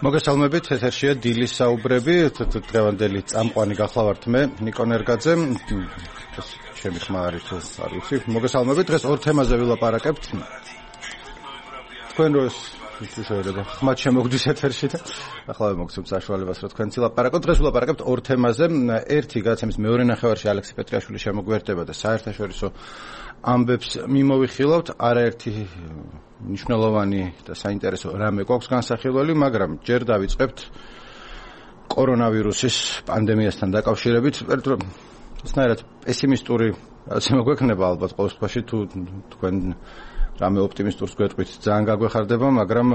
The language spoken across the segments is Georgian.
მოგესალმებით, ეთერშია დილის საუბრები, დღევანდელი წამყვანი გახლავართ მე, ნიკონ ერგაძე. ჩემი ხმა არის თუ არ ვიცი. მოგესალმებით, დღეს ორ თემაზე ვილაპარაკებთ. თქვენ როს შეიძლება ხმად შემოგდის ეთერში და ახლა მოგცემთ საშუალებას რომ თქვენ ვილაპარაკოთ. დღეს ვილაპარაკებთ ორ თემაზე. ერთი გაცემის მეორე ნახევარში ალექსი პეტრიაშვილი შემოგვერდება და საერთაშორისო ამბებს მიმოვიხილავთ. არაერთი მნიშვნელოვანი და საინტერესო რამე გვაქვს განსახილველი, მაგრამ ჯერ დავიწყებთ კორონავირუსის პანდემიასთან დაკავშირებით. ისნაირად პესიმისტური ასე მოგვექნება ალბათ ყოველ შემთხვევაში თუ თქვენ რამე ოპტიმისტურს გვეტყვით ძალიან გაგვეხარდება, მაგრამ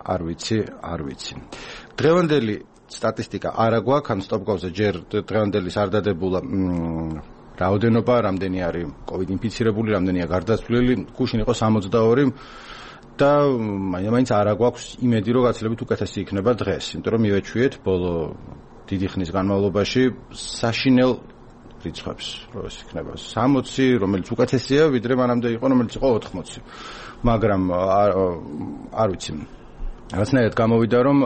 არ ვიცი. დღევანდელი სტატისტიკა არა გვაქვს, ან სტოპგავზე ჯერ დღევანდელის არ დადებულა რაოდენობა, რამდენი არის COVID ინფიცირებული, რამდენია გარდაცვლილი, გუშინ იყო 62 და მაინც არა გვაქვს იმედი, რომ გაცილებით უკეთესი იქნება დღეს, იმიტომ რომ მივეჩვიეთ ბოლო დიდი ხნის განმავლობაში საშინელ რიცხვებს, რომ ეს იქნება 60, რომელიც უკეთესია, ვიდრე მანამდე იყო, რომელიც იყო 80. მაგრამ არ ვიცი. რაღაცნაირად გამოვიდა, რომ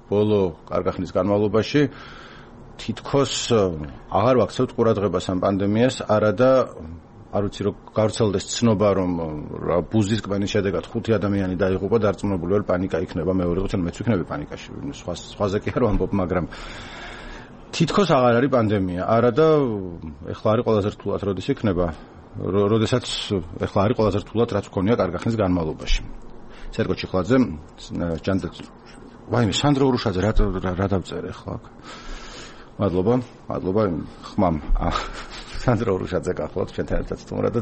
ბოლო კარგი ხნის განმავლობაში თითქოს აღარ ვაქცევთ ყურადღებას ამ პანდემიას, არა და არ ვიცი რომ გავრცელდეს ცნობა რომ ბუზის კბანის შედეგად 5 ადამიანი დაიღუპა, დარწმუნებული ვარ პანიკა იქნება, მეორე ხუთი მეც ვიქნები პანიკაში, სხვაზე კი არ ვამბობ, მაგრამ თითქოს აღარ არის პანდემია, არა და ეხლა არის ყველაზე რთულად როდის იქნება, როდესაც ეხლა არის ყველაზე რთულად რაც გქონია კარგი ხნის განმავლობაში. სერგო ჩიხლაძე, ვაიმე სანდრო ურუშაძე რა დავწერე ახლა აქ. მადლობა ხმამ სანდრო ურუშაძე გახლავთ ჩვენთან ერთად თუმრად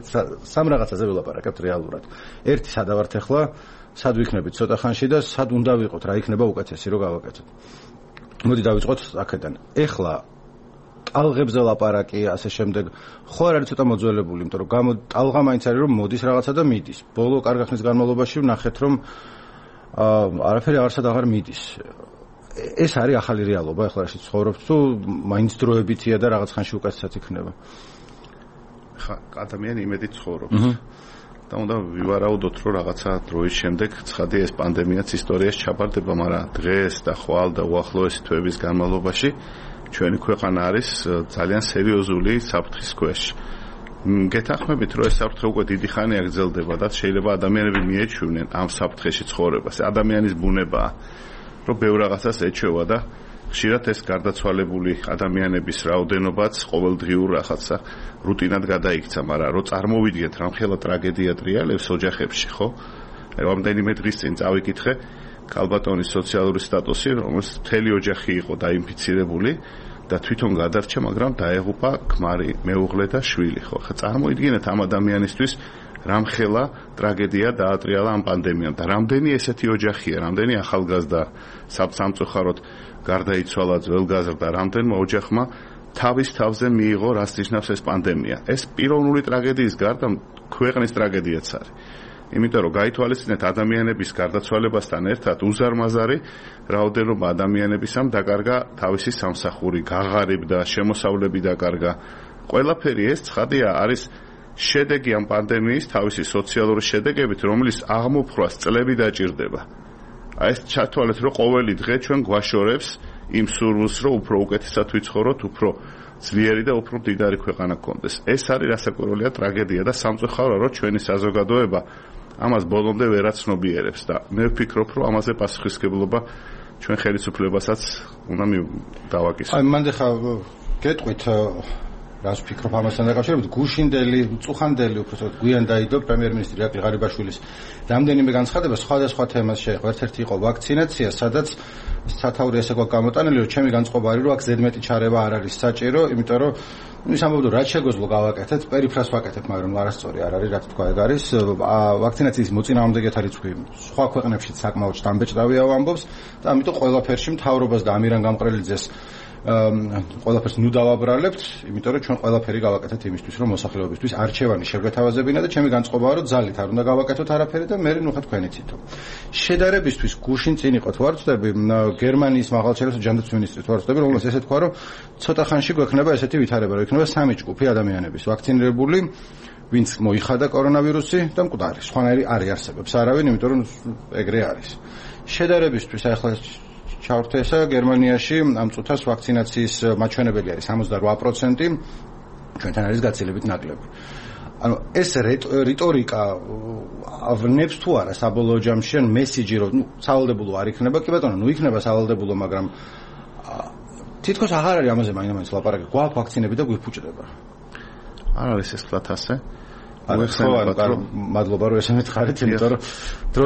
სამ რაღაცაზე ვილაპარაკებთ რეალურად. ერთი სადავართ ახლა, სად ვიქნებით ცოტა ხანში და სად უნდა ვიყოთ, რა იქნება უკეთესი რომ გავაკეთოთ. მოდი დავიწყოთ აქედან. ეხლა ტალღებზე ლაპარაკი, ასე შემდეგ, ხო არ არის ცოტა მოძველებული, იმიტომ რომ ტალღა მაინც არის რომ მოდის რაღაცა და მიდის. ბოლო კარგი ხნის განმავლობაში ვნახეთ რომ არაფერი აღარსად აღარ მიდის. ეს არის ახალი რეალობა, ახლა რაში ცხოვრობთ თუ მაინც დროებითია და რაღაც ხანში უკეთესად იქნება. ხა ადამიანი იმედით ცხოვრობს. და უნდა ვივარაუდოთ რომ რაღაცა დროის შემდეგ ცხადი ეს პანდემიაც ისტორიას ჩაბარდება, მაგრამ დღეს და ხვალ და უახლოესი თვეების განმავლობაში ჩვენი ქვეყანა არის ძალიან სერიოზული საფრთხის ქვეშ. გეთანხმებით რომ ეს საფრთხე უკვე დიდი ხანია გრძელდება და შეიძლება ადამიანები მიეჩვენენ ამ საფრთხეში ცხოვრებას. ადამიანის ბუნებაა რომ ბევრ რაღაცას ეჩვევა და ხშირად ეს გარდაცვალებული ადამიანების რაოდენობაც ყოველდღიურ რაღაცა რუტინად გადაიქცა, მაგრამ რომ წარმოვიდგეთ რამხელა ტრაგედია ტრიალებს ოჯახებში, ხო? რამდენიმე დღის წინ წავიკითხე ქალბატონის სოციალური სტატუსი, რომელსაც მთელი ოჯახი იყო დაინფიცირებული და თვითონ გადარჩა, მაგრამ დაეღუპა ქმარი, მეუღლე და შვილი, ხო? ხა წარმოიდგინეთ ამ ადამიანისთვის რამხელა ტრაგედია დაატრიალა ამ პანდემიამ და რამდენი ესეთი ოჯახია, რამდენი ახალგაზრდა სამწუხაროდ გარდაიცვალა, ძველგაზრდა, რამდენმა ოჯახმა თავის თავზე მიიღო რას ნიშნავს ეს პანდემია. ეს პიროვნული ტრაგედიის გარდა ქვეყნის ტრაგედიაც არის. იმიტომ რომ გაითვალისწინეთ ადამიანების გარდაცვალებასთან ერთად უზარმაზარი რაოდენობა ადამიანების ამ დაკარგა თავისი სამსახური, გაღარიბდა, შემოსავლები დაკარგა. ყველაფერი ეს ცხადია არის შედეგი ამ პანდემიის თავისი სოციალური შედეგებით, რომელიც აღმოფხვას წლები დაჭირდება. აი ეს ჩათვალეთ, რომ ყოველი დღე ჩვენ გვაშორებს იმ სურვილს, რომ უფრო უკეთესად ვიცხოვროთ, უფრო ძლიერი და უფრო მდიდარი ქვეყანა გქონდეს. ეს არის რასაკვირველია ტრაგედია და სამწუხაროა, რომ ჩვენი საზოგადოება ამას ბოლომდე ვერ აცნობიერებს და მე ვფიქრობ, რომ ამაზე პასუხისმგებლობა ჩვენ ხელისუფლებასაც უნდა დავაკისროთ. აი მანდ ხა გეტყვით რას ვფიქრობ ამასთან დაკავშირებით, გუშინდელი, წუხანდელი უბრალოდ გვიან დაიდო პრემიერ-მინისტრი ირაკლი ღარიბაშვილის რამდენიმე განცხადება სხვადასხვა თემას შეეხო. ერთ-ერთი იყო ვაქცინაცია, სადაც სათაური ესე გვაქვს გამოტანილი, რომ ჩემი განწყობა არის, რომ აქ ზედმეტი ჩარევა არ არის საჭირო, იმიტომ რომ ის ამბობდა, რაც შეგვეძლო გავაკეთეთ, პერიფრას ვაკეთებ, მაგრამ არასწორი არ არის, რა თქვა ეგ არის. ვაქცინაციის მოწინააღმდეგეთა რიცხვი სხვა ქვეყნებშიც საკმაოდ შთამბეჭდავია ამბობს და ამიტომ ყველაფერში მთავრობას და ამირან გამყრელიძეს ყველაფერს ნუ დავაბრალებთ, იმიტომ რომ ჩვენ ყველაფერი გავაკეთეთ იმისთვის, რომ მოსახლეობისთვის არჩევანი შეგვეთავაზებინა და ჩემი განწყობაა, რომ ძალით არ უნდა გავაკეთოთ არაფერი და მე ნუ ხა თქვენი თითო. შედარებისთვის გუშინ წინ იყო თვარწდები გერმანიის მაღალჩინოს ჯანდაცვის მინისტრის თვარწდები, რომელსაც ესე თქვა, რომ ცოტა ხანში გვექნება ესეთი ვითარება, რომ იქნება 3 ჯგუფი ადამიანების ვაქცინირებული, ვინც მოიხადა კორონავირუსი და მკვდარი. სხვანაირი არ არსებობს არავინ, იმიტომ რომ ეგრე არის. შედარებისთვის ახლა ჩავრთე ესა გერმანიაში ამ წუთას ვაქცინაციის მაჩვენებელი არის 68%, ჩვენთან არის გაცილებით ნაკლები. ანუ ეს რიტორიკა ავნებს თუ არა საბოლოო ჯამში ან მესიჯი რომ სავალდებულო არ იქნება, კი ბატონო, იქნება სავალდებულო, მაგრამ თითქოს აღარ არის ამაზე მაინც ლაპარაკი, გვაქვს ვაქცინები და გვიფუჭდება. არ არის ეს თლათ ასე. მადლობა რომ ესე მითხარით, იმიტომ რომ დრო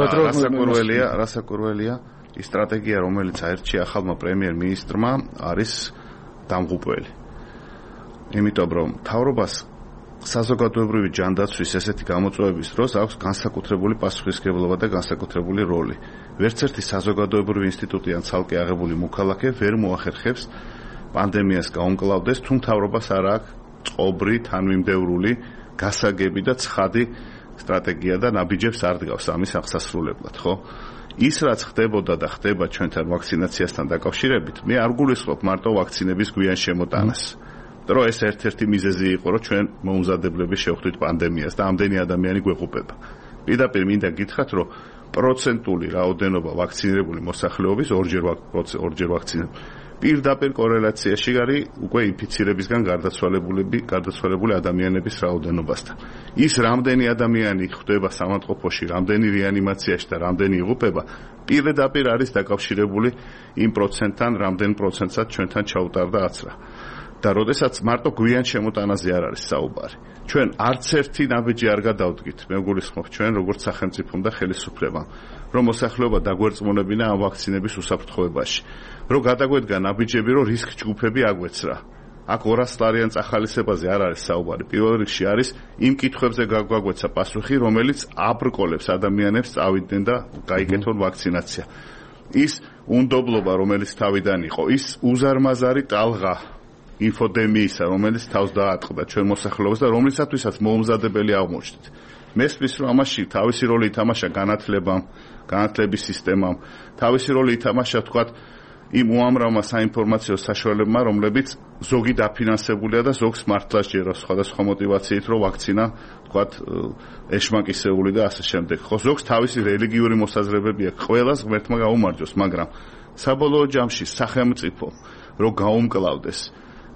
რასაკურველია ის სტრატეგია, რომელიც აერჩია ახალმა პრემიერ-მინისტრმა, არის დამღუპველი. იმიტომ რომ მთავრობას საზოგადოებრივი ჯანდაცვის ესეთი გამოწვევების დროს აქვს განსაკუთრებული პასუხისმგებლობა და განსაკუთრებული როლი. ვერც ერთი საზოგადოებრივი ინსტიტუტი ან ცალკე აღებული მოქალაქე ვერ მოახერხებს პანდემიას გაუმკლავდეს, თუ მთავრობას არ აქვს წყობრი, თანმიმდევრული, გასაგები და ცხადი სტრატეგია და ნაბიჯებს არ დგავს ამის აღსასრულებლად, ხო? ის რაც ხდებოდა და ხდება ჩვენთან ვაქცინაციასთან დაკავშირებით, მე არ გულისხმობ მარტო ვაქცინების გვიან შემოტანას. რომ ეს ერთ-ერთი მიზეზი იყო, რომ ჩვენ მოუმზადებლები შევხვდით პანდემიას და ამდენი ადამიანი გვეყუპება. პირდაპირ მინდა გითხრათ, რომ პროცენტული რაოდენობა ვაქცინირებული მოსახლეობის ორჯერ ვაქცინირებული პირდაპირ კორელაციაში არის უკვე ინფიცირებისგან გარდაცვალებული ადამიანების რაოდენობასთან. ის რამდენი ადამიანი ხვდება სამავთყოფოში, რამდენი რეანიმაციაში და რამდენი იღუპება, პირდაპირ არის დაკავშირებული იმ პროცენტთან, რამდენ პროცენტსაც ჩვენთან ჩაუტარდა აცრა. და როდესაც მარტო გვიან შემოტანაზე არ არის საუბარი. ჩვენ არც ერთი ნაბიჯი არ გადავდგით, მე გულისხმობ ჩვენ როგორც სახელმწიფომ და ხელისუფლებამ, რომ მოსახლეობა დაგვერწმუნებინა ამ ვაქცინების უსაფრთხოებაში. რომ გადაგვედგა ნაბიჯები, რომ რისკ ჯგუფები აგვეცრა. აქ 200 ლარიან წახალისებაზე არ არის საუბარი. პირველ რიგში არის იმ კითხვებზე გაგვეცა პასუხი, რომელიც აბრკოლებს ადამიანებს წავიდნენ და გაიკეთონ ვაქცინაცია. ის უნდობლობა, რომელიც თავიდან იყო, ის უზარმაზარი ტალღა ინფოდემიისა, რომელიც თავს დაატყდა ჩვენ მოსახლეობას და რომლისათვისაც მოუმზადებელი აღმოჩნდით. მესმის რომ ამაში თავისი როლი ითამაშა განათლების სისტემამ, თავისი როლი ითამაშა თქვათ იმ უამრავმა საინფორმაციო საშუალებებმა, რომლებიც ზოგი დაფინანსებულია და ზოგს მართლა სჯეროს სხვადასხვა მოტივაციით, რომ ვაქცინა თქვათ ეშმაკისეული და ასე შემდეგ. ხო, ზოგს თავისი რელიგიური მოსაზრებები აქვს, ყველას ღმერთმა გაუმარჯოს, მაგრამ საბოლოო ჯამში სახელმწიფო რომ გაუმკლავდეს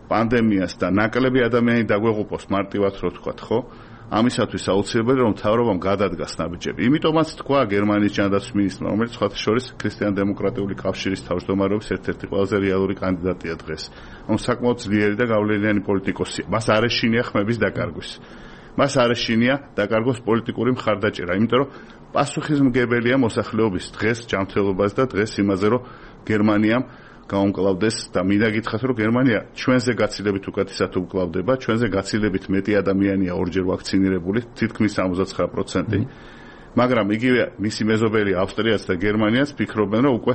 პანდემიას და ნაკლები ადამიანი დაგვეღუპოს მარტივად რო თქვათ, ხო? ამისათვის აუცილებელია რომ მთავრობამ გადადგას ნაბიჯები. იმიტომაც თქვა გერმანიის ჯანდაცვის მინისტრმა, რომელიც სხვათა შორის ქრისტიან-დემოკრატიული კავშირის თავმჯდომარეობის ერთ-ერთი ყველაზე რეალური კანდიდატია დღეს. ანუ საკმაოდ ძლიერი და გავლენიანი პოლიტიკოსია. მას არ ეშინია ხმების დაკარგვის. მას არ ეშინია დაკარგოს პოლიტიკური მხარდაჭერა, იმიტომ რომ პასუხისმგებელია მოსახლეობის დღეს ჯანმრთელობას და დღეს იმაზე, რომ გერმანიამ გაუმკლავდეს და მინდა გითხრათ, რომ გერმანია ჩვენზე გაცილებით უკეთესად უმკლავდება, ჩვენზე გაცილებით მეტი ადამიანია ორჯერ ვაქცინირებული, თითქმის 69%. მაგრამ იგივე მისი მეზობელი ავსტრიაც და გერმანიაც ფიქრობენ, რომ უკვე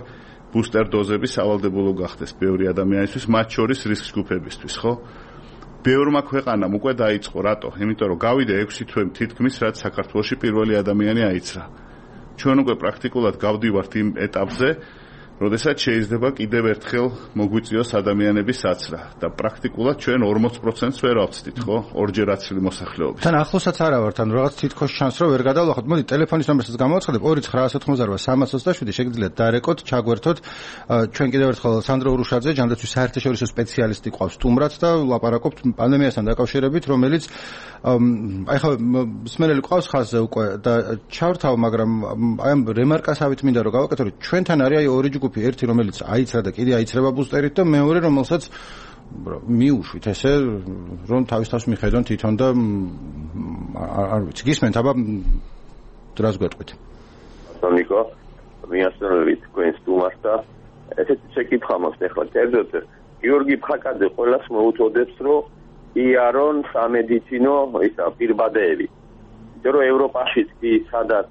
ბუსტერ დოზები სავალდებულო გახდეს ბევრი ადამიანისთვის, მათ შორის რისკ ჯგუფებისთვის, ხო? ბევრმა ქვეყანამ უკვე დაიწყო, რატო? იმიტომ რომ გავიდა 6 თვე თითქმის, რაც საქართველოში პირველი ადამიანი აიცრა. ჩვენ უკვე პრაქტიკულად გავდივართ იმ ეტაპზე, როდესაც შეიძლება კიდევ ერთხელ მოგვიწიოს ადამიანების აცრა და პრაქტიკულად ჩვენ 40%-ს ვერ ავწდით, ხო? ორჯერ აცრილი მოსახლეობის. თან ახლოსაც არა ვართ, ანუ რაღაც თითქოს შანსს რომ ვერ გადავლახოთ. მოდი ტელეფონის ნომერსაც გამოვაცხადებ 2988 შეგიძლიათ დარეკოთ, ჩაგვერთოთ. ჩვენ კიდევ ერთხელ სანდრო ურუშაძე, ჯანდაცვის საერთაშორისო სპეციალისტი ყავს სტუმრად და ლაპარაკობთ პანდემიასთან დაკავშირებით, რომელიც აი ხა მსმენელი ყავს ხაზზე უკვე და ჩავრთავ, მაგრამ აი ამ რემარკასავით მინდა რომ გავაკეთო, რომ ჩვენთან არის აი ორი ჯგუფი, ერთი რომელიც აიცრა და კიდე აიცრება ბუსტერით და მეორე რომელსაც მიუშვით ესე რომ თავის მიხედონ თვითონ და არ ვიცი გისმენთ აბა დრას გვეტყვით. ნიკო, მიასწრებით თქვენ სტუმარს და ესეთი შეკითხვა მაქვს ახლა კერძოდ გიორგი ფხაკაძე ყველას მოუწოდებს რომ იარონ სამედიცინო ისა პირბადეები. იმიტომ რომ ევროპაშიც კი სადაც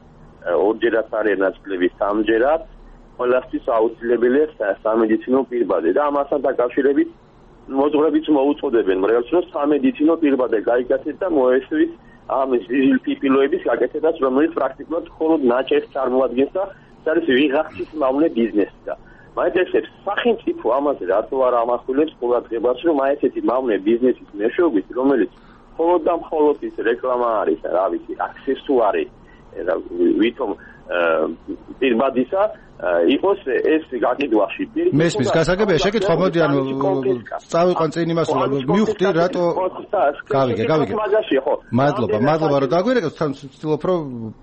ორჯერად არის ნაწილები სამჯერად ყველასთვის აუცილებელია სამედიცინო პირბადე და ამასთან დაკავშირებით მოძღვრებიც მოუწოდებენ მრევლს რომ სამედიცინო პირბადე გაიგაცეთ და მოესვით ამ ზიზილპიპილოების გაკეთებას, რომელიც პრაქტიკულად მხოლოდ ნაჭერს წარმოადგენს და ეს არის ვიღაცის მავნე ბიზნესი და მაინც ეს სახელმწიფო ამაზე რატო არ ამახვილებს ყურადღებას, რომ აი ესეთი მავნე ბიზნესის მეშვეობით, რომელიც მხოლოდ და მხოლოდ ის რეკლამა არის, რა ვიცი, აქსესუარი ვითომ პირბადისა იყოს ეს გაკიდვაში. მესმის გასაგებია შეკითხვა, მოდი ანუ წავიყვან წინ იმას მივხვდი რატო გავიგე. მადლობა რომ დაგვირეკეთ, თან ვცდილობ რომ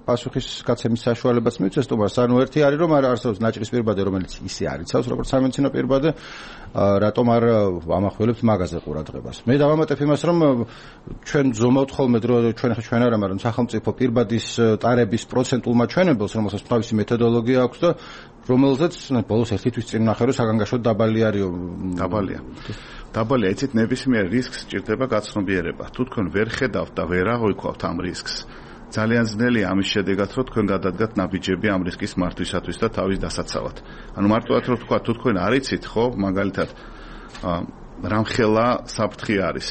პასუხის გაცემის საშუალებაც მივცეს თუმცა ანუ ერთი არის რომ არსებობს ნაჭრის პირბადე რომელიც ისე არიცავს როგორც სამედიცინო პირბადე რატომ არ ამახველებთ მაგაზე ყურადღებას. მე დავამატებ იმას რომ ჩვენ ზომავთ ხოლმე დრო ჩვენ არა მაგრამ სახელმწიფო პირბადის ტარების პროცენტულ მაჩვენებელს რომელსაც თავისი მეთოდოლოგია აქვს და რომელზეც ბოლოს ერთი თვის წინ ნახე რომ საგანგაშოდ დაბალი არისო. დაბალია, იცით ნებისმიერ რისკს სჭირდება გაცნობიერება. თუ თქვენ ვერ ხედავთ და ვერ აღვიქვავთ ამ რისკს, ძალიან ძნელია ამის შედეგად რომ თქვენ გადადგათ ნაბიჯები ამ რისკის მართვისათვის და თავის დასაცავად. ანუ მარტივად რომ თქვა, თუ თქვენ არ იცით, ხო, მაგალითად რამხელა საფრთხე არის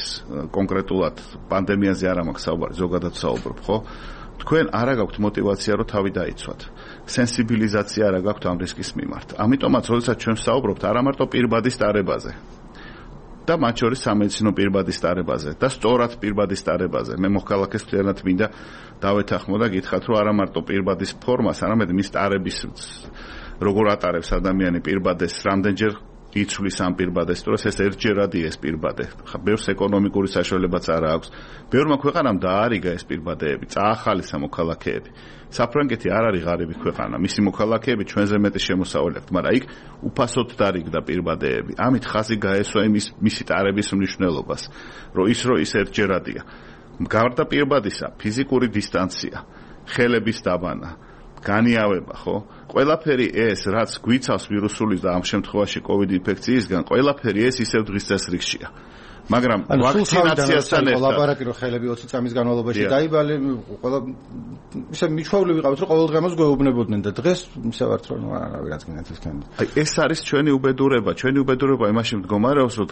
კონკრეტულად პანდემიაზე არ მაქვს საუბარი, ზოგადად საუბრობ, ხო? თქვენ არ გაქვთ мотиваცია რომ თავი დაიცვათ. სენსიბილიზაცია არ გაქვთ ამ რისკის მიმართ. ამიტომაც, როდესაც ჩვენ ვსაუბრობთ არა მარტო პირბადის ტარებაზე და მათ შორის სამედიცინო პირბადის ტარებაზე და სწორად პირბადის ტარებაზე. მე მოხალხეს მთლიანად მინდა დავეთანხმო და გითხრათ, რომ არა მარტო პირბადის ფორმას, არამედ მის ტარების როგორ ატარებს ადამიანი პირბადეს, რამდენჯერ იცვლის ამ პირბადეს, თუ ეს ერთჯერადი ეს პირბადე. ხა ბევრს ეკონომიკური საშუალებაც არ აქვს. ბევრმა ქვეყანამ დაარიგა ეს პირბადეები, წაახალისა მოქალაქეები. საფრანგეთი არ არის ღარიბი ქვეყანა, მისი მოქალაქეები ჩვენზე მეტი შემოსავალი აქვთ, მაგრამ იქ უფასოდ დაარიგდა პირბადეები. ამით ხაზი გაესვა მისი ტარების მნიშვნელობას, რომ ის ერთჯერადია. გარდა პირბადისა, ფიზიკური დისტანცია, ხელების დაბანა, განიავება, ხო? ყველაფერი ეს, რაც გვიცავს ვირუსული და ამ შემთხვევაში COVID ინფექციისგან, ყველაფერი ეს ისევ დღის წესრიგშია. მაგრამ ვაქცინაციასთან ერთად ლაბორატორი რომ ხელები 20 წამის განმავლობაში დაიბალე, ყველა ისე მიჩვეული ვიყავით, რომ ყოველდღიურს გვეუბნებოდნენ და დღეს ისე ვართ რომ არავინ რაც გინდათ ეს კენდა. აი ეს არის ჩვენი უბედურება იმაში მდგომარეობს, რომ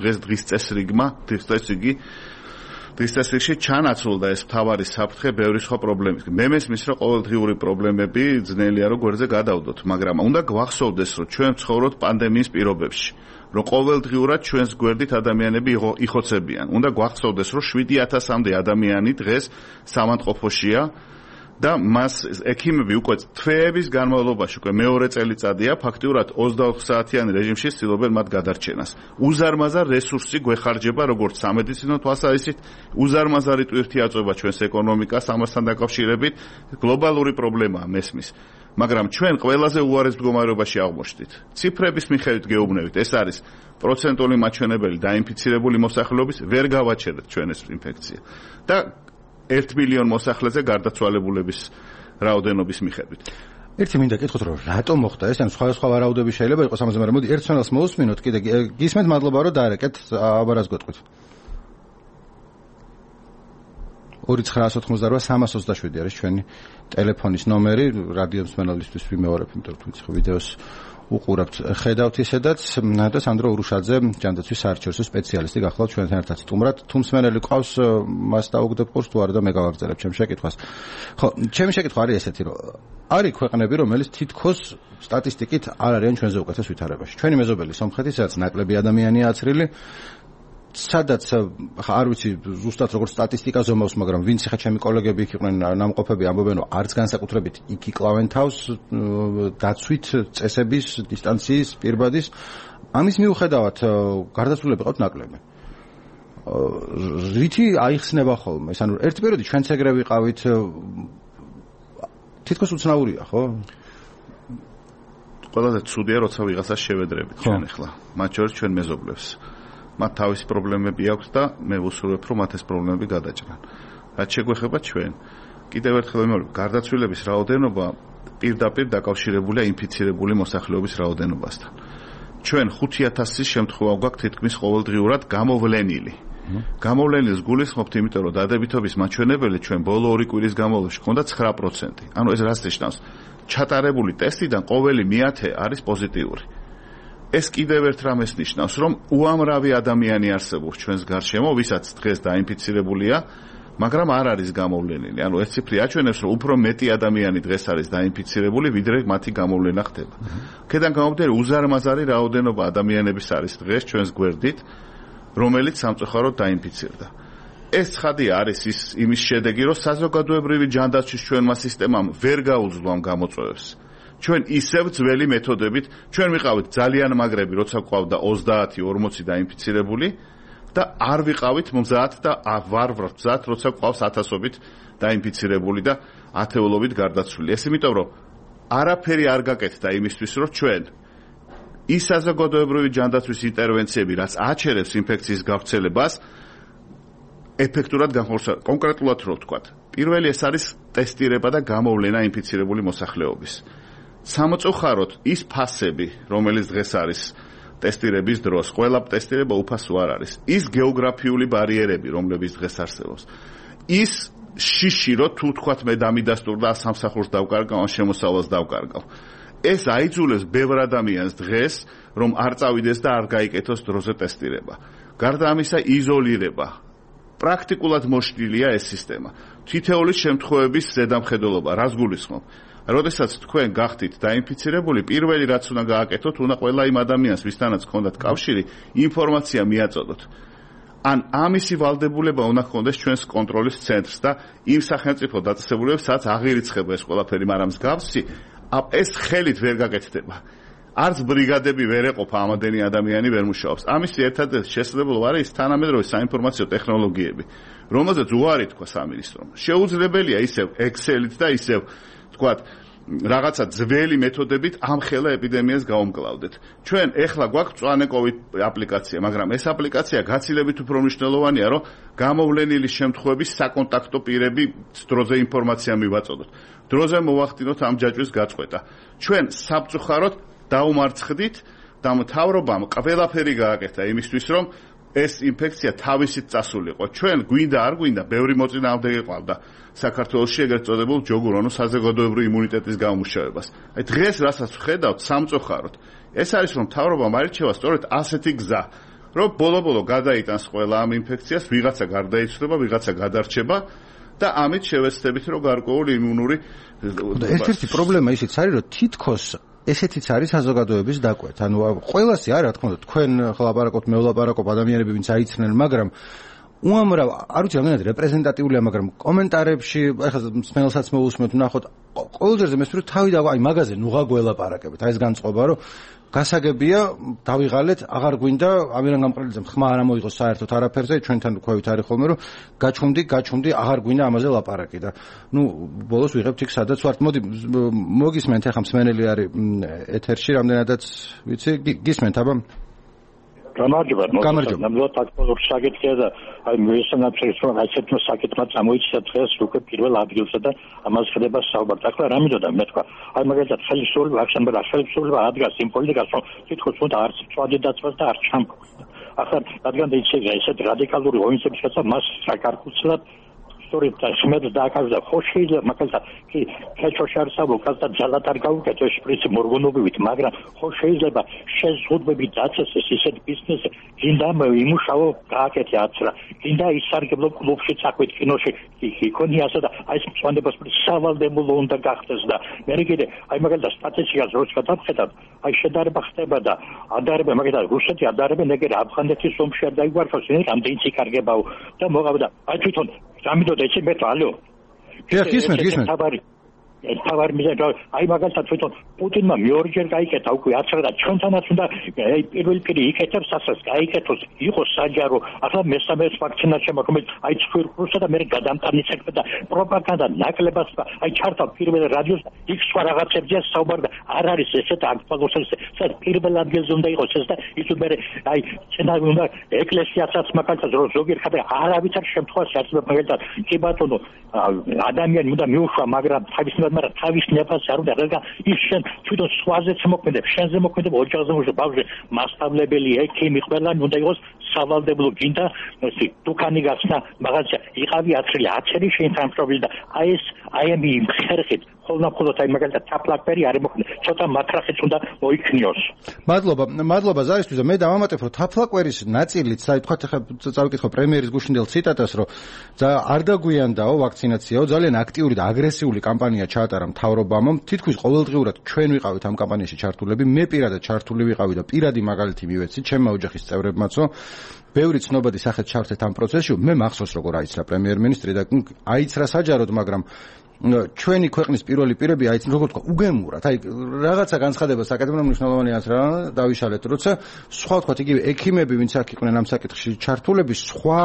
დღის წესრიგში ჩანაცვლდა ეს მთავარი საფრთხე ბევრი სხვა პრობლემის. მე მესმის რომ ყოველდღიური პრობლემები ძნელია რომ გვერდზე გადავდოთ, მაგრამ უნდა გვახსოვდეს რომ ჩვენ ვცხოვრობთ პანდემიის პირობებში. რომ ყოველდღიურად ჩვენს გვერდით ადამიანები იხოცებიან. უნდა გვახსოვდეს, რომ 7000-მდე ადამიანი დღეს სამანტყოფოშია და მას ექიმები უკვე თვეების განმავლობაში, უკვე მეორე წელიწადია, ფაქტიურად 24 საათიანი რეჟიმში ცდილობენ მათ გადარჩენას. უზარმაზარ რესურსი გვეხარჯება როგორც სამედიცინო თვალსაზრისით, უზარმაზარი ტვირთი აწვება ჩვენს ეკონომიკას, ამასთან დაკავშირებით გლობალური პრობლემაა მესმის. მაგრამ ჩვენ ყველაზე უარეს მდგომარეობაში აღმოჩნდით. ციფრების მიხედვით გეუბნებით, ეს არის პროცენტული მაჩვენებელი დაინფიცირებული მოსახლეობის, ვერ გავაჩერეთ ჩვენ ეს ინფექცია. და 1 მილიონ მოსახლეზე გარდაცვალებულების რაოდენობის მიხედვით. ერთი მინდა კითხოთ, რომ რატომ მოხდა ეს, ან სხვა ვარაუდები შეიძლება იყოს ამაზე, მაგრამ მოდი ერთ ცნელს მოусმინოთ კიდე. გისმენთ, მადლობა რომ დაარეკეთ, აბარას გეტყვით. 2988-327 არის ჩვენი ტელეფონის ნომერი, რადიო მსმენელისთვის ვიმეორებ, იმიტომ რომ თქვენ ვიდეოს უყურებთ, ხედავთ ისედაც და სანდრო ურუშაძე, ჯანდაცვის საარჩევნო სპეციალისტი გახლავთ ჩვენთან ერთად სტუმრად. თუ მსმენელი ყავს, მას დაუგდებ ყურს, თუ არა და მე გავაგრძელებ ჩემს შეკითხვას. ხო, ჩემი შეკითხვა არის ესეთი, რომ არის ქვეყნები, რომელიც თითქოს სტატისტიკით არ არიან ჩვენზე უკეთეს ვითარებაში. ჩვენი მეზობელი სომხეთი, სადაც ნაკლები ადამიანია აცრილი, სადაც არ ვიცი ზუსტად როგორც სტატისტიკა ზომავს, მაგრამ ვინც ხა ჩემი კოლეგები იქ იყვნენ ნამყოფები ამბობენ, რომ არც განსაკუთრებით იქ იკლავენ თავს დაცვით წესების, დისტანციის, პირბადის. ამის მიუხედავად გარდაცვლილები ყავთ ნაკლები. რითი აიხსნება ხოლმე? ეს ანუ ერთი პერიოდი ჩვენც ეგრე ვიყავით, თითქოს უცნაურია, ხო? ყველაზე ცუდია, როცა ვიღაცას შევედრებით ჩვენ ახლა. მათ შორის ჩვენ მეზობლებს. მათ თავისი პრობლემები აქვს და მე ვუსურვებ, რომ მათ ეს პრობლემები გადაჭრან. რაც შეგვეხება ჩვენ, კიდევ ერთხელ ვიმეორებ, გარდაცვლილების რაოდენობა პირდაპირ დაკავშირებულია ინფიცირებული მოსახლეობის რაოდენობასთან. ჩვენ 5000-ის შემთხვევა გვაქვს თითქმის ყოველდღიურად გამოვლენილი. გამოვლენილს გულისხმობთ, იმიტომ რომ დადებითობის მაჩვენებელი ჩვენ ბოლო 2 კვირის განმავლობაში ჰქონდა 9%. ანუ ეს რას ნიშნავს? ჩატარებული ტესტიდან ყოველი 100 არის პოზიტიური. ეს კიდევ ერთ რამეს ნიშნავს, რომ უამრავი ადამიანი არსებობს ჩვენს გარშემო, ვისაც დღეს დაინფიცირებულია, მაგრამ არ არის გამოვლენილი. ანუ ეს ციფრი აჩვენებს, რომ უფრო მეტი ადამიანი დღეს არის დაინფიცირებული, ვიდრე მათი გამოვლენა ხდება. აქედან გამომდინარე, უზარმაზარი რაოდენობა ადამიანების არის დღეს ჩვენს გვერდით, რომელიც სამწუხაროდ დაინფიცირდა. ეს ცხადია არის იმის შედეგი, რომ საზოგადოებრივი ჯანდაცვის ჩვენმა სისტემამ ვერ გაუძლო ამ გამოწვევებს. ჩვენ ისევ ძველი მეთოდებით, ჩვენ ვიყავით ძალიან მაგრები, როცა გვყავდა 30-40 დაინფიცირებული და არ ვიყავით მზად და ვარ მზად, როცა გვყავს 1000-ობით დაინფიცირებული და ათეულობით გარდაცვლილი. ეს იმიტომ, რომ არაფერი არ გაკეთდა იმისთვის, რომ ჩვენ ის საზოგადოებრივი ჯანდაცვის ინტერვენციები, რაც აჩერებს ინფექციის გავრცელებას, ეფექტურად განხორციელდეს. კონკრეტულად რო ვთქვათ, პირველი ეს არის ტესტირება და გამოვლენა ინფიცირებული მოსახლეობის. სამწუხაროდ ის ფასები, რომელიც დღეს არის ტესტირების დროს, ყველა ტესტირება უფასო არ არის. ის გეოგრაფიული ბარიერები, რომლებიც დღეს არსებობს. ის შიში, რომ თუ თქვათ მე დამიდასტურ და სამსახურს დავკარგავ, ან შემოსავალს დავკარგავ. ეს აიძულებს ბევრ ადამიანს დღეს, რომ არ წავიდეს და არ გაიკეთოს დროზე ტესტირება. გარდა ამისა, იზოლირება. პრაქტიკულად მოშლილია ეს სისტემა. თითოეული შემთხვევების ზედამხედველობა, რას გულისხმობ? როდესაც თქვენ გახდით დაინფიცირებული, პირველი რაც უნდა გააკეთოთ, უნდა ყველა იმ ადამიანს, ვისთანაც გქონდათ კავშირი, ინფორმაცია მიაწოდოთ. ან ამისი ვალდებულება უნდა ჰქონდეს ჩვენს კონტროლის ცენტრს და იმ სახელმწიფო დაწესებულებებს, სადაც აღირიცხება ეს ყველაფერი, მაგრამ მსგავსი ეს ხელით ვერ გაკეთდება. არც ბრიგადები ვერ ეყოფა ამადენი ადამიანი ვერ მუშაობს. ამისი ერთადერთი შესაძლებლობა არის თანამედროვე საინფორმაციო ტექნოლოგიები, რომელზეც უარი თქვა სამინისტრომ. შეუძლებელია ისევ Excel-ით და ისევ თქვათ რაღაცა ძველი მეთოდებით ამ ხელა ეპიდემიას გაუმკლავდეთ. ჩვენ ეხლა გვაქვს მწვანე COVID აპლიკაცია, მაგრამ ეს აპლიკაცია გაცილებით უფრო მნიშვნელოვანია, რომ გამოვლენილი შემთხვევების საკონტაქტო პირები დროზე ინფორმაცია მივაწოდოთ. დროზე მოვახდინოთ ამ ჯაჭვის გაწყვეტა. ჩვენ სამწუხაროდ დაუმარცხდით და მთავრობამ ყველაფერი გააკეთა იმისთვის, რომ ეს ინფექცია თავისით წასულიყო. ჩვენ გვინდა არ გვინდა, ბევრი მოწინააღმდეგე ყავდა საქართველოში ეგრეთ წოდებულ ჯოგურონო საზოგადოებრივი იმუნიტეტის გამომუშავებას. აი დღეს რასაც ვხედავთ სამწუხაროდ, ეს არის რომ მთავრობამ არჩევა სწორედ ასეთი გზა, რომ ბოლო-ბოლო გადაიტანს ყველა ამ ინფექციას, ვიღაცა გარდაიცვლება, ვიღაცა გადარჩება და ამით შევეცდებით, რომ გარკვეული იმუნური ერთ-ერთი პრობლემა ისიც არის, რომ თითქოს ესეთიც არის საზოგადოების დაკვეთ. ანუ ყველასი არა, რა თქმა უნდა, თქვენ ახლა ლაპარაკობთ, მე ვლაპარაკობ, ადამიანები ვინც აიცნენ, მაგრამ უამრავ, არ ვიცი რამდენად რეპრეზენტატიულია, მაგრამ კომენტარებში, ახლა მსმენელსაც მოვუსმენთ, ნახოთ, ყოველჯერზე მესმის თავი და აი მაგაზე ნუღა გველაპარაკებით. აი ეს განწყობა, რომ გასაგებია, დავიღალეთ, აღარ გვინდა ამირან გამყრელიძემ ხმა არ ამოიღოს საერთოდ არაფერზე, ჩვენთან ქვევით არის ხოლმე, რომ გაჩუმდი, აღარ გვინდა ამაზე ლაპარაკი და ნუ ბოლოს ვიღებთ იქ სადაც ვართ. მოდი მოგისმენთ, ახლა მსმენელი არის ეთერში, რამდენადაც ვიცი, გისმენთ აბა? გამარჯობა. ნამდვილად აქტუალური საკითხია და აი მესამეც რომ ასეთმა საკითხმა წამოიჭრა დღეს უკვე პირველ ადგილზე და ამას ხდება საუბარი. ახლა რა მინდოდა მე თქვა, აი მაგალითად ხელისუფლება ადგას იმ პოლიტიკას, რომ თითქოს უნდა არც წვადი დაწვას და არც ჩამქვა. ახლა რადგან შეიძლება ესეთ რადიკალური ღონისძიების შესაძლებლობა მას საკარკუცლად სწორედ ხმებს დააკავდა. ხო შეიძლება მაგალითად კი ქეჩოში არ საბოლოოს და ძალად არ გავუკეთო ეს პრინციპი მორგონობივით, მაგრამ ხო შეიძლება შეზღუდვები დაწესეს ისეთ ბიზნესზე, გინდა იმუშაო გააკეთე აცრა, გინდა ისარგებლო კლუბში წახვით კინოში იქონიასო და აი ეს მწვანებას სავალდებულო უნდა გახდეს და მე კიდე აი მაგალითად სტატისტიკას როც გადავხედავ, აი შედარება ხდება და ადარება მაგალითად რუსეთი ადარებენ ეგერ აფხანეთის ომში არ დაიგვარხოს, რამდენი ციკარგებაო და მოყავდა აი თვითონ გამიდოდა ეცე მე თვალო. გისმენთ. თავარ მიზანი აი მაგალითად თვითონ პუტინმა მეორეჯერ გაიკეთა უკვე აცრა და ჩვენთანაც უნდა პირველი პირი იკეთებს ასას გაიკეთოს იყოს საჯარო ახლა მესამე ვაქცინაცია მაგრამ აი ცხვირფროსა და მე გადამტანი ცეკვა და პროპაგანდა ნაკლებად აი ჩართა პირველ რადიოს იქ სხვა რაღაცებზეა საუბარი და არ არის ესეთ აქტუალურს ეს პირველ ადგილზე უნდა იყოს ეს და ის მე აი ცენარი უნდა ეკლესიასაც მაგალითად ზოგიერთ ხალხი არავითარ შემთხვევაში არსებობს მაგალითად კი ბატონო ადამიანი უნდა მიუშვა მაგრამ მაგრამ თავის ნებას არ უნდა რადგან ის შენ თვითონ სხვაზეც მოქმედებს შენზე მოქმედებს ოჯახზე მოქმედებს ბავშვი მასშტაბლებელი ექიმი ყველანი უნდა იყოს სავალდებულო გინდა დუქანი გახსნა მაღაზია იყავი აცრილი აცერი შენ თანხმობილი და აი ეს აი ამ ხერხით ხოლმე აი მაგალითად თაფლაკბერი არ მოქმედებს ცოტა მათრახიც უნდა მოიქნიოს. მადლობა ზარისთვის და მე დავამატებ რომ თაფლაკბერის ნაწილიც აი თქვა ხა წავიკითხო პრემიერის გუშინდელ ციტატას რომ არ დაგვიანდაო ვაქცინაციაო ძალიან აქტიური და აგრესიული კამპანია ჩაატარა მთავრობამ თითქმის ყოველდღიურად ჩვენ ვიყავით ამ კამპანიაში ჩართულები მე პირადად ჩართული ვიყავი და პირადი მაგალითი მივეცი ჩემმა ოჯახის წევრებმაცო ბევრი ცნობადი სახეთ ჩავთეთ ამ პროცესში მე მახსოვს როგორ აიცრა პრემიერ-მინისტრი და აიცრა საჯაროდ მაგრამ ჩვენი ქვეყნის პირველი პირები აი როგორ თქვა უგემურად აი რაღაცა განცხადება საკეთებო მნიშვნელოვანია რა დავიშალეთ როცა სხვა თქვა იგივე ექიმები ვინც აქ იყვნენ ამ საკითხში ჩართულები სხვა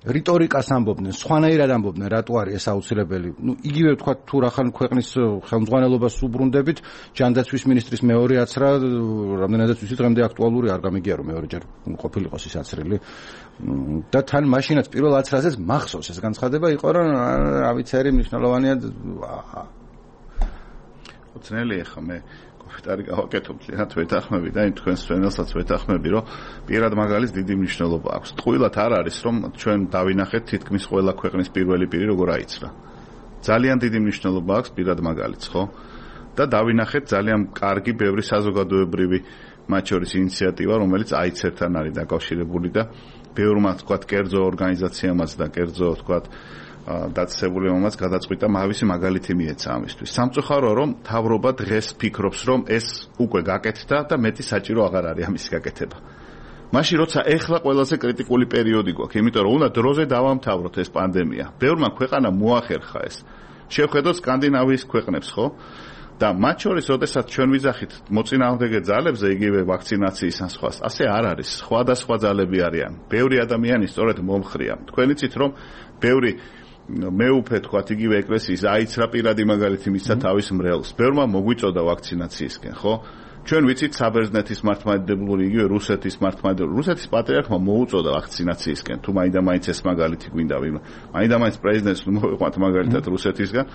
რიტორიკას ამბობდნენ, სხვანაირად ამბობდნენ, რატო არის ეს აუცილებელი. იგივე თქვა თუ რახან ქვეყნის ხელმძღვანელობას უბრუნდებით, ჯანდაცვის მინისტრის მეორე აცრა, რამდენადაც ვიცი დღემდე აქტუალური არ გამიგია რომ მეორეჯერ ყოფილიყოს ის აცრილი. და თან მაშინაც პირველ აცრაზეც მახსოვს ეს განცხადება იყო რომ რა ვიცი არის მნიშვნელოვანია. უცნელია ხა მე კოფიტარი გავაკეთებ ძალიან ვეთახმები და იმ თქვენს სვენელსაც ვეთახმები რომ პირად მაგალითს დიდი მნიშვნელობა აქვს. ტყუილად არ არის რომ ჩვენ დავინახეთ თითქმის ყველა ქვეყნის პირველი პირი როგორ აიცრა. ძალიან დიდი მნიშვნელობა აქვს პირად მაგალითს, ხო? და დავინახეთ ძალიან კარგი ბევრი საზოგადოებრივი მათ შორის ინიციატივა, რომელიც აიცერთან არის დაკავშირებული და ბევრმა თქვა კერძო ორგანიზაციამაც და კერძო თქვა დაწესებული მომაც გადაწყვიტა მავისი მაგალითი მიეცა ამისთვის. სამწუხაროა რომ თავრობა დღეს ფიქრობს რომ ეს უკვე გაკეთდა და მეტი საჭირო აღარ არის ამის გაკეთება. მაშინ როცა ეხლა ყველაზე კრიტიკული პერიოდი გვაქვს, იმიტომ რომ უნდა დროზე დავამთავროთ ეს პანდემია. ბევრმა ქვეყანამ მოახერხა ეს. შევხედოთ სკანდინავიის ქვეყნებს, ხო? და მათ შორის, როდესაც ჩვენ ვიძახით მოწინააღმდეგე ძალებზე იგივე ვაქცინაციის ან სხვას, ასე არ არის. სხვადასხვა ძალები არიან. ბევრი ადამიანი სწორედ მომხრია. თქვენ იცით რომ ბევრი მეუფე თქვათ იგივე ეკლესიის აიცრა პირადი მაგალითი მისცა თავის მრევლს. ბევრმა მოგვიწოდა ვაქცინაციისკენ, ხო? ჩვენ ვიცით საბერძნეთის მართლმადიდებლური იგივე რუსეთის მართლმადიდებლური რუსეთის პატრიარქმა მოუწოდა ვაქცინაციისკენ. თუ მაინდა-მაინც ეს მაგალითი გვინდა ვინმე. მაინდა-მაინც პრეზიდენტს მოვიყვანთ მაგალითად რუსეთისგან.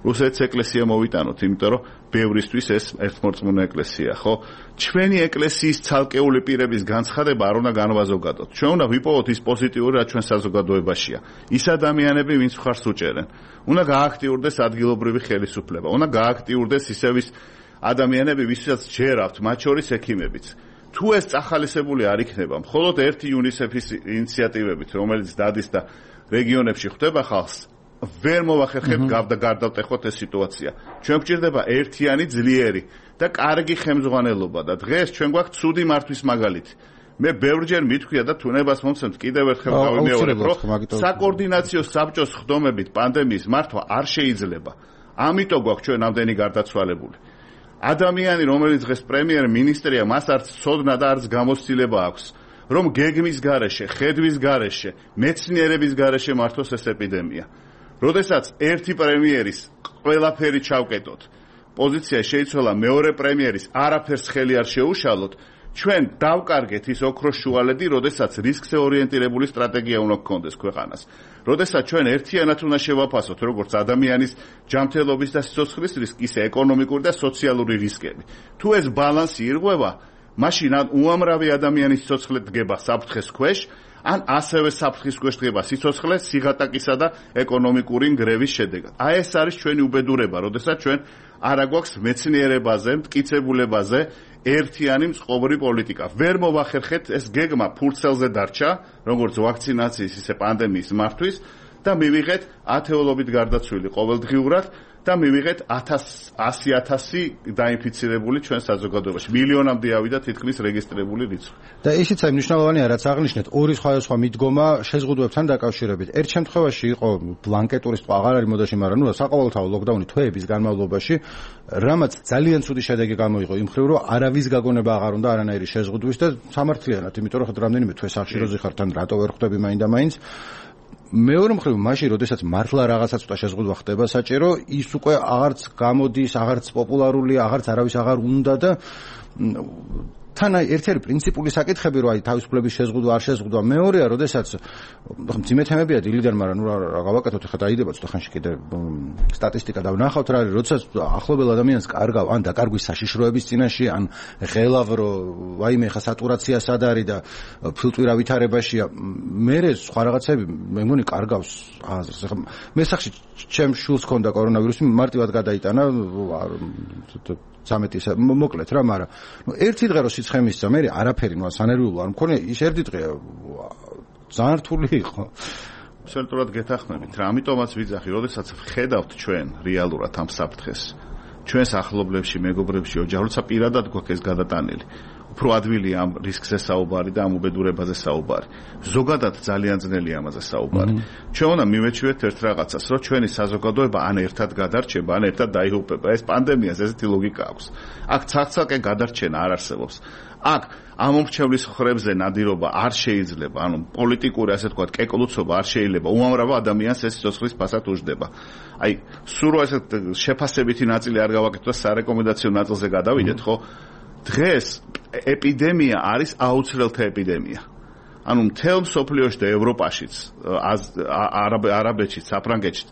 რუსეთის ეკლესია მოვიტანოთ, იმიტომ რომ ბევრისთვის ეს ერთმორწმუნე ეკლესია, ხო? ჩვენი ეკლესიის ცალკეული პირების განცხადება არ უნდა განვაზოგადოთ. ჩვენ უნდა ვიპოვოთ ის პოზიტიური, რაც ჩვენ საზოგადოებაშია. ის ადამიანები, ვინც მხარს უჭერენ. უნდა გააქტიურდეს ადგილობრივი ხელისუფლება. უნდა გააქტიურდეს ისევის ადამიანები, ვისაც ჯერავთ, მათ შორის ექიმებიც. თუ ეს წახალისებული არ იქნება, მხოლოდ ერთი იუნისეფის ინიციატივებით, რომელიც დადის და რეგიონებში ხვდება ხალხს, ვერ მოვახერხებთ გარდავტეხოთ ეს სიტუაცია. ჩვენ გვჭირდება ერთიანი, ძლიერი და კარგი ხელმძღვანელობა და დღეს ჩვენ გვაქვს ცუდი მართვის მაგალითი. მე ბევრჯერ მithქვია და თუნებას მომცემთ კიდევ ერთხელ გავიმეორებ, რომ საკოორდინაციო საბჭოს ხდომებით პანდემიის მართვა არ შეიძლება. ამიტომ გვაქვს ჩვენ ამდენი გარდაცვალებული. ადამიანი, რომელიც დღეს პრემიერ-მინისტრია, მას არც ცოდნა და არც გამოცდილება აქვს, რომ გეგმის გარეშე, ხედვის გარეშე, მეცნიერების გარეშე მართოს ეს ეპიდემია. როდესაც ერთი პრემიერის ყველაფერი ჩავკეტოთ, პოზიცია შეიცვალა მეორე პრემიერის, არაფერს ხელი არ შეუშალოთ, ჩვენ დავკარგეთ ის ოქროს შუალედი, როდესაც რისკზე ორიენტირებული სტრატეგია უნდა გქონდეს ქვეყანას. როდესაც ჩვენ ერთიანად უნდა შევაფასოთ, როგორც ადამიანის ჯანმრთელობის და სიცოცხლის რისკი, ისე ეკონომიკური და სოციალური რისკები. თუ ეს ბალანსი ირღვევა, მაშინ ან უამრავი ადამიანის სიცოცხლე დგება საფრთხეს ქვეშ, ან ასევე საფრთხის ქვეშ დგება სიცოცხლე სიღატაკისა და ეკონომიკური ნგრევის შედეგად. აი ეს არის ჩვენი უბედურება, როდესაც ჩვენ არ აგვაქვს მეცნიერებაზე, მტკიცებულებაზე ერთიანი მწყობრი პოლიტიკა. ვერ მოვახერხეთ ეს გეგმა ფურცელზე დარჩა, როგორც ვაქცინაციის, ისე პანდემიის მართვის და მივიღეთ ათეულობით გარდაცვლილი ყოველდღიურად და მივიღეთ 100,000 დაინფიცირებული ჩვენ საზოგადოებაში. მილიონამდე ავიდა თითქმის რეგისტრირებული რიცხვი. და ისიც აი მნიშვნელოვანია, რაც აღნიშნეთ, ორი სხვადასხვა მიდგომა შეზღუდვებთან დაკავშირებით. ერთ შემთხვევაში იყო ბლანკეტურის თვა აღარ არის მოდაში, მაგრამ ნუ საყოველთაო ლოკდაუნი თვეების განმავლობაში, რამაც ძალიან ცუდი შედეგი გამოიღო იმ მხრივ, რომ არავის გაგონება აღარ უნდა არანაირი შეზღუდვის და სამართლიანად, იმიტომ რომ რამდენიმე თვე სახშიროზე ხარ თან რატო ვერ ხვდები მაინდა-მაინც. მეორე მხრივ მაშინ, როდესაც მართლა რაღაცა ცოტა შეზღუდვა ხდება საჭირო, ის უკვე აღარც გამოდის, აღარც პოპულარულია, აღარც არავის აღარ უნდა და თან ერთი არის პრინციპული საკითხები, რომ აი თავისუფლების შეზღუდვა არ შეზღუდვა. მეორეა, როდესაც მძიმე თემებია დილიდან, მაგრამ ნუ რა გავაკეთოთ, ხა დაიდება ცოტა ხანში კიდე სტატისტიკა და ვნახავთ რა არის, როდესაც ახლობელ ადამიანს კარგავ, ან დაკარგვის საშიშროების წინაშე, ან ღელავ, რომ ვაიმე ხა სატურაცია სად არის და ფილტვირა ვითარებაშია. მე სხვა რაღაცები მე მგონი კარგავს აზრს. ხა მე სახში ჩემ შულს ქონდა კორონავირუსი, მარტივად გადაიტანა 13 მოკლედ რა, მაგრამ ერთი დღე რო სიცხე მისცა, მე არაფერი ნუ სანერვიულო არ მქონია, ის ერთი დღე ძალიან რთული იყო. აბსოლუტურად გეთახმებით რა, ამიტომაც ვიძახი, როდესაც ვხედავთ ჩვენ რეალურად ამ საფრთხეს, ჩვენს ახლობლებში, მეგობრებში, ოჯახებში, პირადად გვაქვს ეს გადატანილი. უფრო ადვილია ამ რისკზე საუბარი და ამ უბედურებაზე საუბარი. ზოგადად ძალიან ძნელია ამაზე საუბარი. ჩვენ უნდა მივეჩვიოთ ერთ რაღაცას, რომ ჩვენი საზოგადოება ან ერთად გადარჩება, ან ერთად დაიღუპება. ეს პანდემიას ესეთი ლოგიკა აქვს. აქ ცალკე გადარჩენა არ არსებობს. აქ ამომრჩევლის ხრებზე ნადირობა არ შეიძლება, ანუ პოლიტიკური ასე თქვა კეკლუცობა არ შეიძლება. უამრავ ადამიანს ეს სიცოცხლის ფასად უждდება. აი, სულ ესეთ შეფასებითი ნაწილი არ გავაკეთოთ და სარეკომენდაციო ნაწილზე გადავიდეთ, ხო? დღეს ეპიდემია არის აუცილელთა ეპიდემია. ანუ მთელ მსოფლიოში და ევროპაშიც, არაბეთშიც, საფრანგეთშიც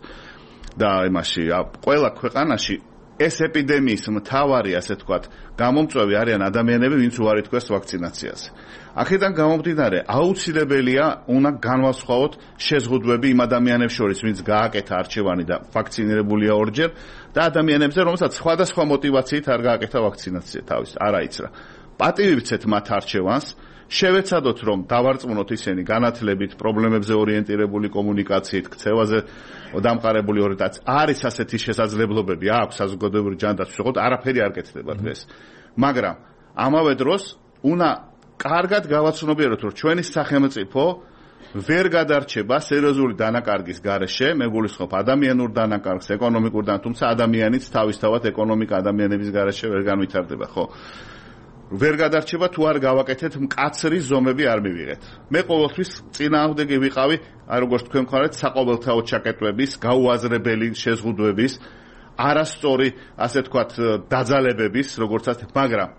და იმაში ყველა ქვეყანაში ეს ეპიდემიის მთავარი ასე თქვა გამომწვევი არიან ადამიანები, ვინც უარი თქვეს ვაქცინაციაზე. აქედან გამომდინარე, აუცილებელია უნდა განვასხვაოთ შეზღუდვები იმ ადამიანებს შორის, ვინც გააკეთა არჩევანი და ვაქცინირებულია ორჯერ და ადამიანებზე, რომელსაც სხვადასხვა მოტივაციით არ გააკეთა ვაქცინაცია თავის, არ აიცრა. პატივიცეთ მათ არჩევანს, შევეცადოთ რომ დავარწმუნოთ ისინი განათლებით, პრობლემებზე ორიენტირებული კომუნიკაციით, ქცევაზე დამყარებული ორიენტაციით. არის ასეთი შესაძლებლობები, აქვს საზოგადოებრივი ჯანდაცვის, თქო, არაფერი არ კეთდება დღეს. მაგრამ ამავე დროს უნდა კარგად გავაცნობიეროთ, რომ ჩვენი სახელმწიფო ვერ გადარჩება სერიოზული დანაკარგის გარეშე, მე გულისხმობ ადამიანურ დანაკარგს, ეკონომიკურ დანაკარგს, თუმცა ადამიანიც თავისთავად ეკონომიკა ადამიანების გარეშე ვერ განვითარდება, ხო? ვერ გადარჩება თუ არ გავაკეთეთ მკაცრი ზომები არ მივიღეთ. მე ყოველთვის წინააღმდეგი ვიყავი, აი როგორც თქვენ მხარეთ, საყოველთაო ჩაკეტვების, გაუაზრებელი შეზღუდვების, არასწორი, ასე თქვათ, დაძალებების, როგორცაც, მაგრამ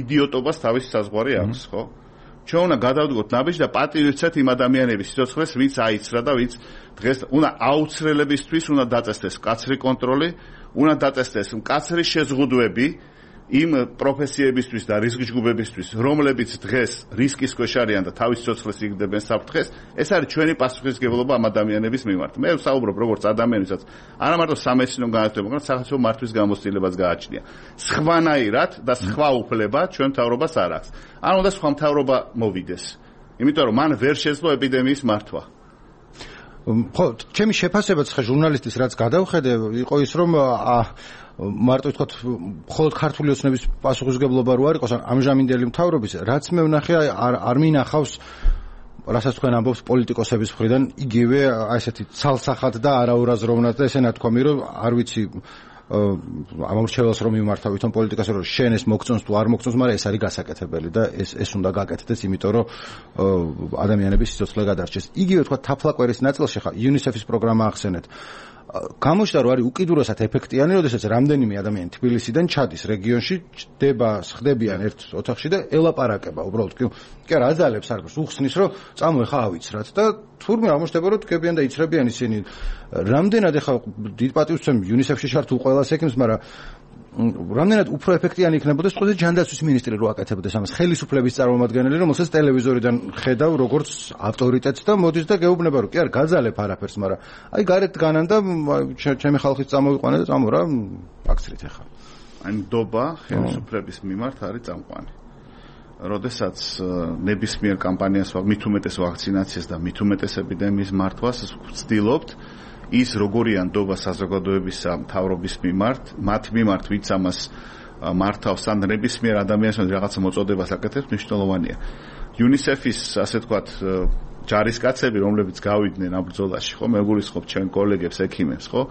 იდიოტობას თავისი საზღვარი აქვს, ხო? ჩვენ უნდა გადავდგოთ ნაბიჯს და პატივიცეთ იმ ადამიანების სიცოცხლეს, ვინც აიცრა და ვინც დღეს უნდა აუცრელებისთვის უნდა დაწესდეს მკაცრი კონტროლი, უნდა დაწესდეს მკაცრი შეზღუდვები იმ პროფესიებისთვის და რისკჯგუფებისთვის, რომლებიც დღეს რისკის ქვეშ არიან და თავის სიცოცხლეს იგდებენ საფრთხეს, ეს არის ჩვენი პასუხისმგებლობა ამ ადამიანების მიმართ. მე ვსაუბრობ როგორც ადამიანისაც, არა მარტო სამეცნიერო განათლება, მაგრამ სახელმწიფო მართვის გამოცდილებას გააჩნია. სხვანაირად და სხვა უფლება ჩვენ მთავრობას არ აქვს. არ უნდა სხვა მთავრობა მოვიდეს. იმიტომ რომ მან ვერ შეძლო ეპიდემიის მართვა. ხო, ჩემი შეფასებაც ხა ჟურნალისტის რაც გადავხედე, იყო ის რომ მარტო ვთქვათ, მხოლოდ ქართული ოცნების პასუხისმგებლობა რო არ იყოს ამჟამინდელი მთავრობის, რაც მე ვნახე არ მინახავს, რასაც თქვენ ამბობთ პოლიტიკოსების მხრიდან, იგივე ესეთი ცალსახად და არაურაზროვნად და ესე ნათქვამი, რომ არ ვიცი ამორჩეველს რომ მიმართავ თვითონ პოლიტიკას რომ შენ ეს მოგწონს თუ არ მოგწონს, მაგრამ ეს არის გასაკეთებელი და ეს უნდა გაკეთდეს, იმიტომ რომ ადამიანების სიცოცხლე გადარჩეს. იგივე თქვა თაფლაკვერის ნაწილში ხა UNICEF-ის პროგრამა ახსენეთ. გამოჩნდა რომ არის უკიდურესად ეფექტიანი, როდესაც რამდენიმე ადამიანი თბილისიდან ჩადის რეგიონში, ხდებიან ერთ ოთახში და ელაპარაკება უბრალოდ კი არა აძალებს არც უხსნის რომ წამო ხა ავიცრათ და თურმე აღმოჩნდება რომ დგებიან და იცრებიან ისინი. რამდენად ხა დიდ პატივს ვცემ UNICEF-ში შართ უყველას ექიმს, მაგრამ რამდენად უფრო ეფექტიანი იქნებოდა სწორედ ჯანდაცვის მინისტრი რო აკეთებდეს ამას, ხელისუფლების წარმომადგენელი, რომელსაც ტელევიზორიდან ხედავ როგორც ავტორიტეტს და მოდის და გეუბნება რომ კი არ გაძალებ არაფერს, მაგრამ აი გარეთ განან და ჩემი ხალხის წამოვიყვანე და წამო რა აქცრით ახლა. აი ნდობა ხელისუფლების მიმართ არის წამყვანი. როდესაც ნებისმიერ კამპანიას მით უმეტეს ვაქცინაციას და მით უმეტეს ეპიდემიის მართვას ვცდილობთ ის როგორია ნდობა საზოგადოებისა მთავრობის მიმართ, მათ მიმართ ვინც ამას მართავს ან ნებისმიერ ადამიანს რაღაცა მოწოდებას აკეთებს, მნიშვნელოვანია. UNICEF-ის ასე თქვათ ჯარისკაცები, რომლებიც გავიდნენ ამ ბრძოლაში, ხო, მე გულისხმობ ჩვენ კოლეგებს, ექიმებს, ხო?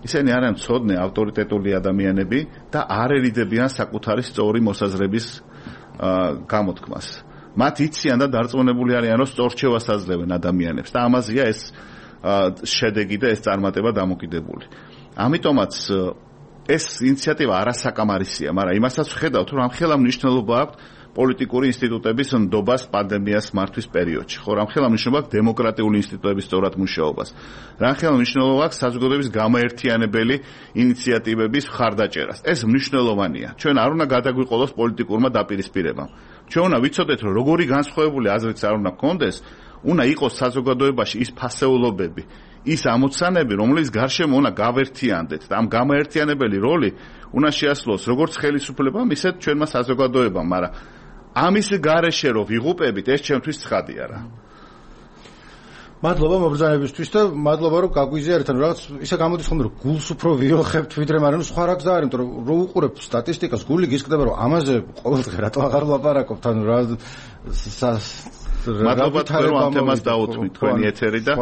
ისინი არიან მცოდნე, ავტორიტეტული ადამიანები და არ ერიდებიან საკუთარი სწორი მოსაზრების გამოთქმას. მათ იციან და დარწმუნებული არიან, რომ სწორჩევას აძლევენ ადამიანებს და ამაზეა ეს შედეგი და ეს წარმატება დამოკიდებული. ამიტომაც ეს ინიციატივა არასაკამარისია, მაგრამ იმასაც ვხედავთ, რომ ამხელა მნიშვნელობა აქვს პოლიტიკური ინსტიტუტების ნდობას პანდემიას მართვის პერიოდში. ხო, ამხელა მნიშვნელობა აქვს დემოკრატიული ინსტიტუტების სწორად მუშაობას. ამხელა მნიშვნელობა აქვს საზოგადოების გამაერთიანებელი ინიციატივების მხარდაჭერას. ეს მნიშვნელოვანია. ჩვენ არ უნდა გადაგვიყოლოს პოლიტიკურმა დაპირისპირებამ. ჩვენ უნდა ვიცოდეთ, რომ როგორი განსხვავებული აზრიც არ უნდა გქონდეს, უნდა იყოს საზოგადოებაში ის ფასეულობები, ის ამოცანები, რომლის გარშემო უნდა გავერთიანდეთ და ამ გამაერთიანებელი როლი უნდა შეასრულოს როგორც ხელისუფლებამ, ისე ჩვენმა საზოგადოებამ, მაგრამ ამის გარეშე რომ ვიღუპებით, ეს ჩემთვის ცხადია რა. მადლობა მობრძანებისთვის და მადლობა რომ გაგვიზიარეთ, ანუ რაღაც ისე გამოდის ხოლმე რომ გულს უფრო ვიოხებთ ვიდრე, მაგრამ სხვა რა გზა არის, იმიტომ რომ რო უყურებ სტატისტიკას, გული გისკდება რომ ამაზე ყოველდღე რატო აღარ ვლაპარაკობთ, ანუ რა მადლობა თქვენ ამ თემას დაუთმით თქვენი ეთერი და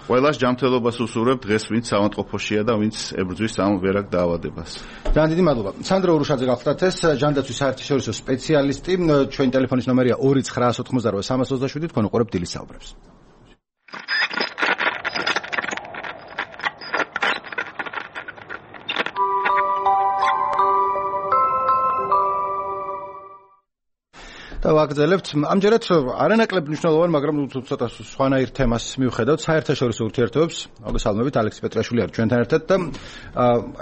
ყველას ჯანმრთელობას უსურვებ დღეს ვინც ავადმყოფოშია და ვინც ებრძვის ამ ვერაგ დაავადებას. ძალიან დიდი მადლობა. სანდრო ურუშაძე გახლდათ ეს ჯანდაცვის საერთაშორისო სპეციალისტი, ჩვენი ტელეფონის ნომერია 2988 თქვენ უყურებთ დილის საუბრებს. და ვაგრძელებთ ამჯერად არანაკლებ მნიშვნელოვან, მაგრამ ცოტა სხვანაირ თემას მივხედავთ საერთაშორისო ურთიერთობებს. მოგესალმებით, ალექსი პეტრაშვილი არის ჩვენთან ერთად და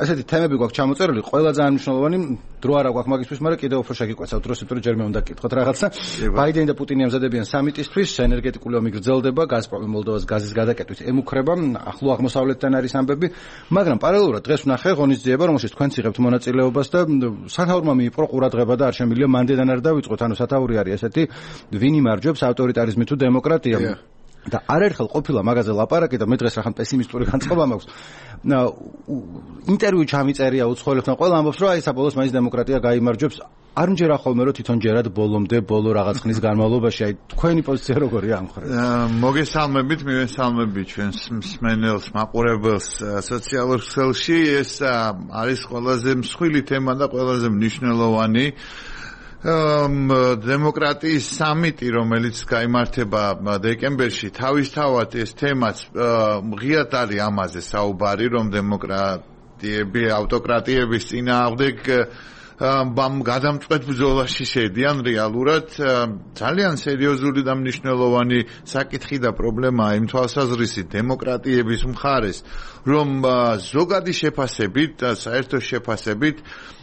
ესეთი თემები გვაქვს ჩამოწერილი, ყველა ძალიან მნიშვნელოვანი, დრო არა გვაქვს მაგისთვის, მაგრამ კიდევ უფრო შეგიკვეცავთ დროს, იმიტომ რომ ჯერ მე უნდა გკითხოთ რაღაცა. ბაიდენი და პუტინი ამზადებიან სამიტისთვის, ენერგეტიკული ომი გრძელდება, გაზპრომი მოლდოვას გაზის გადაკეტვით ემუქრება, ახლო აღმოსავლეთთან არის ამბები, მაგრამ პარალელურად დღეს ვნახე ღონისძიება, რომელშიც თქვენც იღებთ მონაწილეობას და სათაურმა მიიპყრო ყურადღება და არ შემიძლია მანდედან არ დავიწყოთ, ანუ სათაური არის ესეთი, ვინ იმარჯვებს ავტორიტარიზმი თუ დემოკრატია. და არაერთხელ ყოფილა მაგაზე ლაპარაკი და მე დღეს რახან პესიმისტური განწყობა მაქვს. ინტერვიუ ჩამიწერია უცხოელებთან, ყველა ამბობს, რომ აი საბოლოოს მაინც დემოკრატია გაიმარჯვებს. არ მჯერა ხოლმე რომ თვითონ ჯერად ბოლომდე ბოლო რაღაც ხნის განმავლობაში, აი თქვენი პოზიცია როგორია ამ ხრით? მოგესალმებით, მივესალმებით ჩვენს მსმენელს, მაყურებელს სოციალურ ქსელში. ეს არის ყველაზე მსხვილი თემა და ყველაზე მნიშვნელოვანი დემოკრატიის სამიტი, რომელიც გაიმართება დეკემბერში, თავისთავად ეს თემაც ღიად არის ამაზე საუბარი, რომ დემოკრატიები, ავტოკრატიების წინააღმდეგ გადამწყვეტ ბრძოლაში შედიან რეალურად. ძალიან სერიოზული და მნიშვნელოვანი საკითხი და პრობლემაა იმ თვალსაზრისით დემოკრატიების მხარეს, რომ ზოგადი შეფასებით და საერთო შეფასებით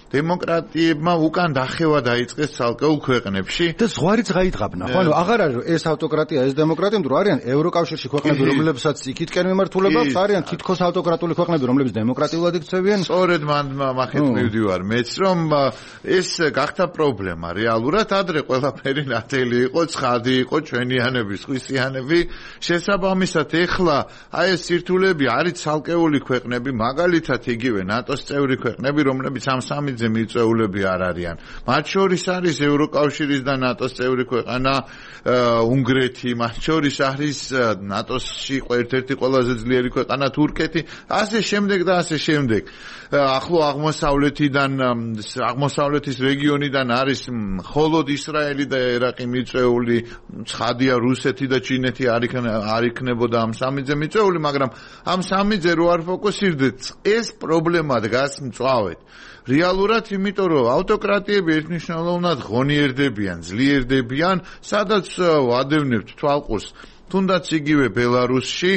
დემოკრატიებმა უკან დახევა დაიწყეს ცალკეულ ქვეყნებში და ზღვარი წაიდგაბნა. ხო, ანუ აღარ არის ეს ავტოკრატია, ეს დემოკრატია, იმიტომ რომ არიან ევროკავშირში ქვეყნები, რომლებსაც იქითკენ მიმართულება აქვს, არიან თითქოს ავტოკრატული ქვეყნები, რომლებიც დემოკრატიულად იქცევიან. სწორედ მახეთ მივდივარ მეც, რომ ეს გახდა პრობლემა რეალურად. ადრე ყველაფერი ნათელი იყო, ცხადი იყო, ჩვენიანების, ხვისიანები. შესაბამისად, ეხლა აი ეს სირთულეები არის ცალკეული ქვეყნები, მაგალითად იგივე ნატოს წევრი ქვეყნები, რომლებიც ამ სამი მიწვეულები არ არიან. მათ შორის არის ევროკავშირის და ნატოს წევრი ქვეყანა უნგრეთი, მათ შორის არის ნატოსში ერთ-ერთი ყველაზე ძლიერი ქვეყანა თურქეთი, ასე შემდეგ და ასე შემდეგ. ახლო აღმოსავლეთის რეგიონიდან არის მხოლოდ ისრაელი და ერაყი მიწვეული, ცხადია რუსეთი და ჩინეთი არ იქნებოდა ამ სამიზე მიწვეული, მაგრამ ამ სამიზე რო არ ფოკუსირდეთ, ეს პრობლემა დგას მწვავედ. რეალურად, იმიტომ რომ ავტოკრატიები ერთნიშნულოვნად ღონიერდებიან, ძლიერდებიან, სადაც ვადევნებთ თვალყურს, თუნდაც იგივე ბელარუსში,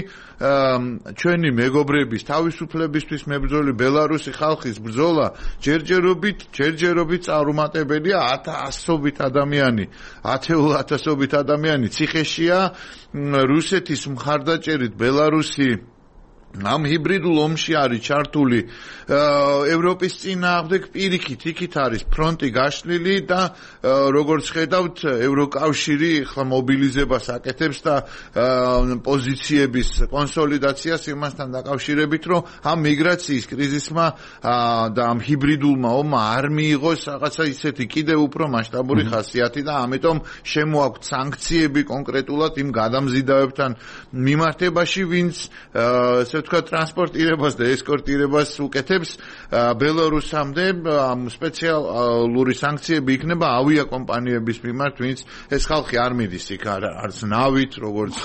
ჩვენი მეგობრების თავისუფლებისთვის მებრძოლი ბელარუსი ხალხის ბრძოლა ჯერჯერობით წარუმატებელია, ათეულათასობით ადამიანი ციხეშია, რუსეთის მხარდაჭერით ბელარუსი ამ ჰიბრიდულ ომში არის ჩართული, ევროპის წინააღმდეგ პირიქით იქით არის ფრონტი გაშლილი და როგორც ხედავთ ევროკავშირი ხლა მობილიზებას აკეთებს და პოზიციების კონსოლიდაციას იმასთან დაკავშირებით, რომ ამ მიგრაციის კრიზისმა და ამ ჰიბრიდულმა ომმა არ მიიღოს რაღაცა ისეთი კიდევ უფრო მასშტაბური ხასიათი და ამიტომ შემოაქვთ სანქციები კონკრეტულად იმ გადამზიდავებთან მიმართებაში, ვინც თქვა ტრანსპორტირებას და ესკორტირებას უკეთებს ბელარუსამდე. სპეციალური სანქციები იქნება ავიაკომპანიების მიმართ, ვინც ეს ხალხი არ მიდის იქ არც ნავით, როგორც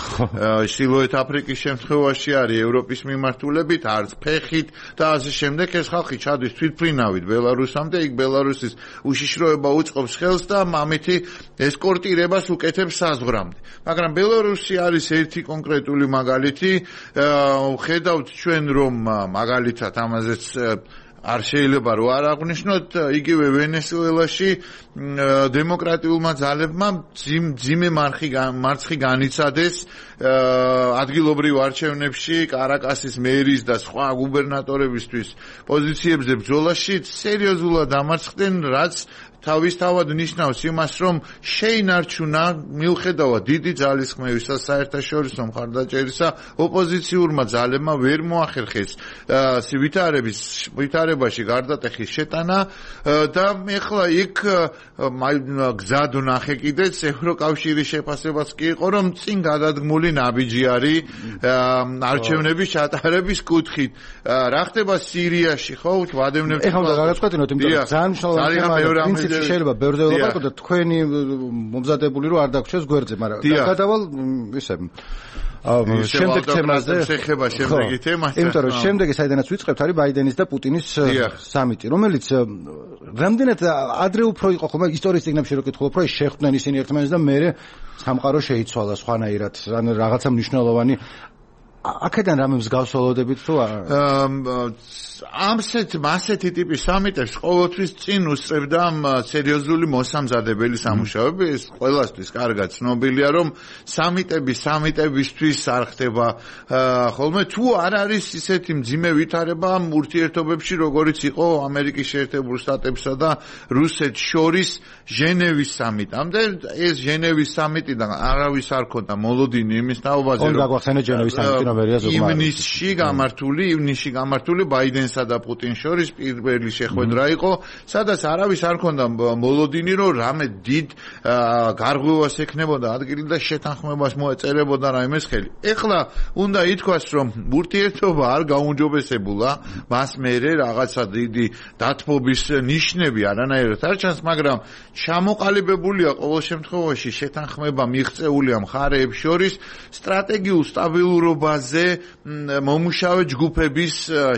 ჩრდილოეთ აფრიკის შემთხვევაში არის ევროპის მიმართულებით, არც ფეხით და ასე შემდეგ. ეს ხალხი ჩადის თვითმფრინავით ბელარუსამდე, იქ ბელარუსის უშიშროება უწყობს ხელს და ამითი ესკორტირებას უკეთებს საზღვრამდე. მაგრამ ბელარუსი არის ერთი კონკრეტული მაგალითი. ხედავთ ჩვენ რომ მაგალითად ამაზეც არ შეიძლება რომ არ აღვნიშნოთ, იგივე ვენესუელაში დემოკრატიულმა ძალებმა ძიმე მარცხი განიცადეს ადგილობრივ არჩევნებში კარაკასის მერის და სხვა გუბერნატორებისთვის პოზიციებზე ბრძოლაში სერიოზულად დამარცხდნენ, რაც თავისთავად ნიშნავს იმას, რომ შეინარჩუნა მიუხედავად დიდი ძალისხმევისა საერთაშორისო მხარდაჭერისა ოპოზიციურმა ძალებმა ვერ მოახერხეს ვითარებაში გარდატეხის შეტანა და ეხლა იქ გზად ვნახე კიდეც ევროკავშირის შეფასებაც კი იყო, რომ წინ გადადგმული ნაბიჯი არის არჩევნების ჩატარების კუთხით. რა ხდება სირიაში, ხო? ვადევნებთ. ეხლა უნდა გაგაცნობინოთ, იმიტომ რომ ძალიან მნიშვნელოვანია. შეიძლება ბევრზე ვლაპარაკოთ და თქვენი მომზადებული რომ არ დაგვრჩეს გვერდზე, მაგრამ გადავალ ისე შემდეგ თემაზე შეხება შემდეგი თემაზე. იმიტომ რომ შემდეგი საიდანაც ვიწყებთ არის ბაიდენის და პუტინის სამიტი, რომელიც რამდენად ადრე უფრო იყო ხოლმე ისტორიის წიგნებში რო კითხულობ, რომ შეხვდნენ ისინი ერთმანეთს და მე სამყარო შეიცვალა სხვანაირად, ან რაღაცა მნიშვნელოვანი აქედან რამე მსგავსებოდებით თუ ასეთი ტიპის სამიტებს ყოველთვის წინ უსწრებდა სერიოზული მოსამზადებელი სამუშაოები. ეს ყველასთვის კარგად ცნობილია, რომ სამიტებისთვის არ ხდება ხოლმე თუ არ არის ისეთი მძიმე ვითარება ურთიერთობებში, როგორიც იყო ამერიკის შეერთებული შტატებსა და რუსეთს შორის ჟენევის სამიტამდე. ეს ჟენევის სამიტიდან არავის არ ქონდა მოლოდინი იმის თაობაზე, რომ გაგვახსენეთ ჟენევის სამიტი ივნისში გამართული ბაიდენსა და პუტინს შორის პირველი შეხვედრა იყო, სადაც არავის არ ქონდა მოლოდინი, რომ რამე დიდ გარღვევას ექნებოდა ადგილი და შეთანხმებას მოეწერებოდა რაიმეს ხელი. ეხლა უნდა ითქვას, რომ ურთიერთობა არ გაუმჯობესებულა, მას მერე რაღაცა დიდი დათბობის ნიშნები არანაირად არ ჩანს, მაგრამ ჩამოყალიბებულია ყოველ შემთხვევაში შეთანხმება მიღწეულია მხარეებს შორის სტრატეგიულ სტაბილურობაზე მომუშავე ჯგუფების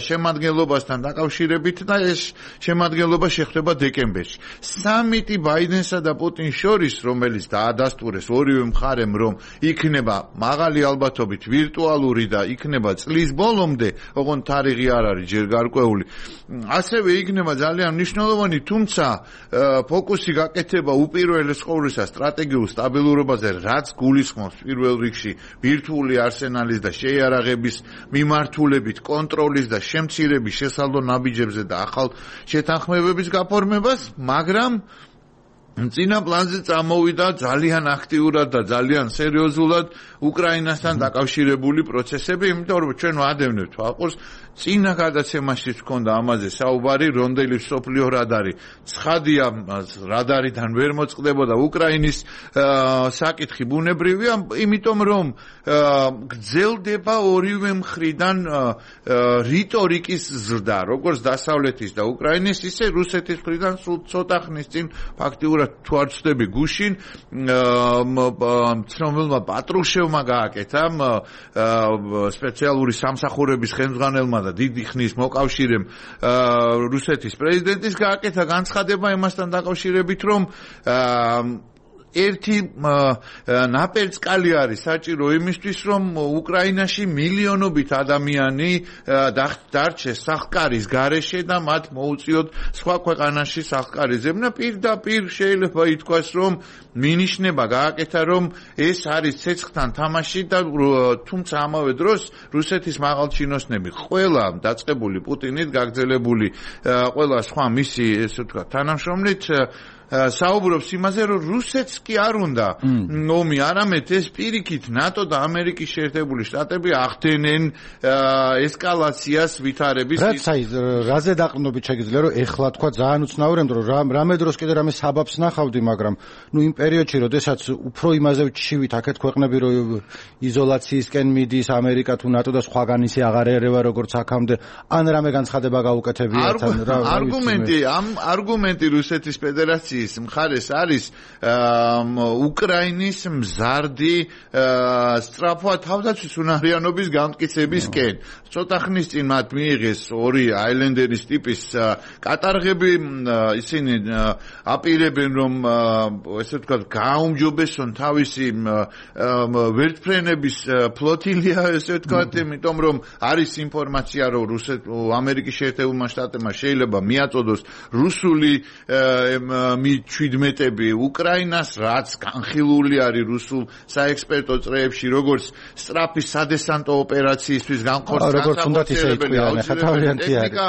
შემადგენლობასთან დაკავშირებით და ეს შემადგენლობა შეხვდება დეკემბერში. სამიტი ბაიდენსა და პუტინს შორის, რომელიც დაადასტურეს ორივე მხარემ, რომ იქნება მაღალი ალბათობით ვირტუალური და იქნება წლის ბოლომდე, ოღონდ თარიღი არ არის ჯერ გარკვეული. ასევე იქნება ძალიან მნიშვნელოვანი, თუმცა ფოკუსი გაკეთება უპირველეს ყოვლისა სტრატეგიულ სტაბილურობაზე, რაც გულისხმობს პირველ რიგში ბირთვული არსენალის და შეიარაღების მიმართულებით კონტროლის და შემცირების შესალო ნაბიჯებზე და ახალ შეთანხმებების გაფორმებას, მაგრამ წინა პლანზე წამოვიდა ძალიან აქტიურად და ძალიან სერიოზულად უკრაინასთან დაკავშირებული პროცესები, იმიტომ რომ ჩვენ ვადევნებთ ვაყურს წინა გადაცემაში თქონდა ამაზე საუბარი, რონდელი სოფლიო რადარი ცხადია, რადარიდან ვერ მოწყდებოდა უკრაინის საკითხი ბუნებრივია, იმიტომ რომ გრძელდება ორივე მხრიდან რიტორიკის ზრდა, როგორც დასავლეთის და უკრაინის, ისე რუსეთის მხრიდან სულ ცოტა ხნის წინ ფაქტიურად თუ არ ვცდები გუშინ ცნობილმა პატრუშევმა გააკეთა სპეციალური სამსახურების ხელმძღვანელმა და დიდი ხნის მოკავშირემ რუსეთის პრეზიდენტის გააკეთა განცხადება იმასთან დაკავშირებით, რომ ერთი ნაპერწკალი არის საჭირო იმისთვის, რომ უკრაინაში მილიონობით ადამიანი დარჩეს სახკარის გარეშე და მათ მოუწიოთ სხვა ქვეყანაში სახკარის ზებნა. პირდაპირ შეიძლება ითქვას, რომ მინიშნება გააკეთა, რომ ეს არის ცეცხლთან თამაში და თუმცა ამავე დროს რუსეთის მაღალჩინოსნები ყველა დაწყებული პუტინით გაგრძელებული ყველა სხვა მისი ესე ვთქვათ თანამშრომლით საუბრობს იმაზე, რომ რუსეთს კი არ უნდა ომი, არამედ ეს პირიქით ნატო და ამერიკის შეერთებული შტატები ახდენენ ესკალაციას ვითარების. რაც აი რაზე დაყრდნობით შეგიძლია, რომ ეხლა თქვა ძალიან უცნაურია, რომ რამე დროს კიდე რამე საბაბს ნახავდი, მაგრამ იმ პერიოდში, როდესაც უფრო იმაზე ვჩივით აქეთ ქვეყნები, რომ იზოლაციისკენ მიდის ამერიკა თუ ნატო და სხვაგან ისე აღარ ერევა როგორც აქამდე, ან რამე განცხადება გაუკეთებიათ, ან რა არგუმენტი რუსეთის ფედერაციის მხარეს არის უკრაინის მზარდი სწრაფვა თავდაცვის უნარიანობის გამტკიცებისკენ. ცოტა ხნის წინ მათ მიიღეს ორი აილენდერის ტიპის კატარღები, ისინი აპირებენ, რომ ესე ვთქვათ გააუმჯობესონ თავისი ვერტმფრენების ფლოტილია, ესე ვთქვათ, იმიტომ რომ არის ინფორმაცია, რომ ამერიკის შეერთებულმა შტატებმა შეიძლება მიაწოდოს რუსული მი-17 უკრაინას, რაც განხილული არის რუსულ საექსპერტო წრეებში, როგორც სწრაფი სადესანტო ოპერაციისთვის განხორციელებელი ტექნიკა,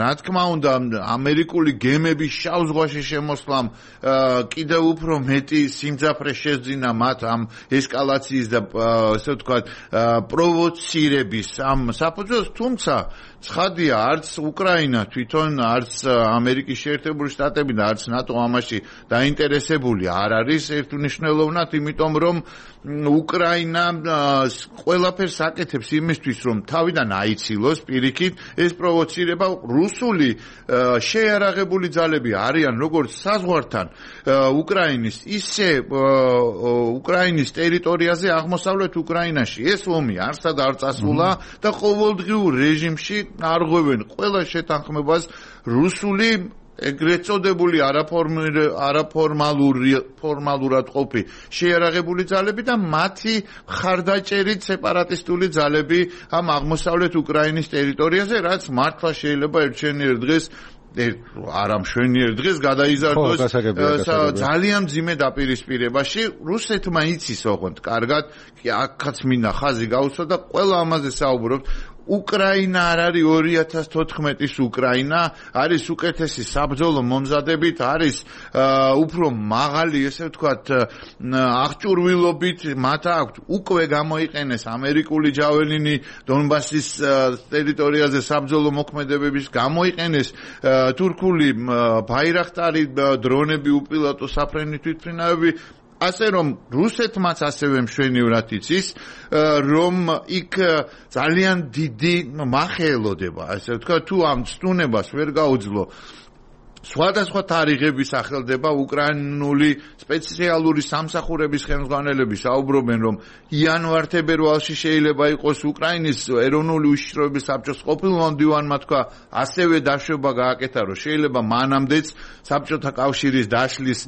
რა თქმა უნდა, ამერიკული გემების შავ ზღვაში შემოსვლამ კიდევ უფრო მეტი სიმძაფრე შეძინა მათ ამ ესკალაციის და ასე ვთქვათ პროვოცირების ამ საფუძველს, თუმცა ცხადია, არც უკრაინა თვითონ, არც ამერიკის შეერთებული შტატები და არც ნატო ამაში დაინტერესებული არ არის ერთმნიშვნელოვნად, იმიტომ რომ უკრაინა ყველაფერს აკეთებს იმისთვის, რომ თავიდან აიცილოს პირიქით ეს პროვოცირება. რუსული შეიარაღებული ძალები არიან როგორც საზღვართან უკრაინის, ისე უკრაინის ტერიტორიაზე აღმოსავლეთ უკრაინაში. ეს ომი არსად არ წასულა და ყოველდღიურ რეჟიმში არღვევენ ყველა შეთანხმებას რუსული ეგრეთ წოდებული არაფორმალურად ყოფი შეიარაღებული ძალები და მათი მხარდაჭერით სეპარატისტული ძალები ამ აღმოსავლეთ უკრაინის ტერიტორიაზე, რაც მართლა შეიძლება ერთშენიერ დღეს არა მშვენიერ დღეს გადაიზარდოს ძალიან მძიმე დაპირისპირებაში. რუსეთმა იცის ოღონდ კარგად, აქაც მინდა ხაზი გაუსვა და ყველა ამაზე საუბრობთ. უკრაინა არ არის 2014-ის უკრაინა, არის უკეთესი საბრძოლო მომზადებით, არის უფრო მაღალი, ესე ვთქვათ, აღჭურვილობით, მათ აქვთ უკვე გამოიყენეს ამერიკული ჯაველინი დონბასის ტერიტორიაზე საბრძოლო მოქმედებების, გამოიყენეს თურქული ბაირაქტარი დრონები, უპილოტო საფრენი თვითმფრინავები. ასე რომ რუსეთმაც ასევე მშვენივრად იცის, რომ იქ ძალიან დიდი მახეელოდება, ასე ვთქვათ, თუ ამ ცდუნებას ვერ გაუძლო სხვადასხვა თარიღების სახელდება უკრაინული სპეციალური სამსახურების ხელმძღვანელები საუბრობენ, რომ იანვარ-თებერვალში შეიძლება იყოს უკრაინის ეროვნული უშიშროების საბჭოს ყოფილმა მდივანმა თქვა, ასევე დაშვება გააკეთა, რომ შეიძლება მანამდეც საბჭოთა კავშირის დაშლის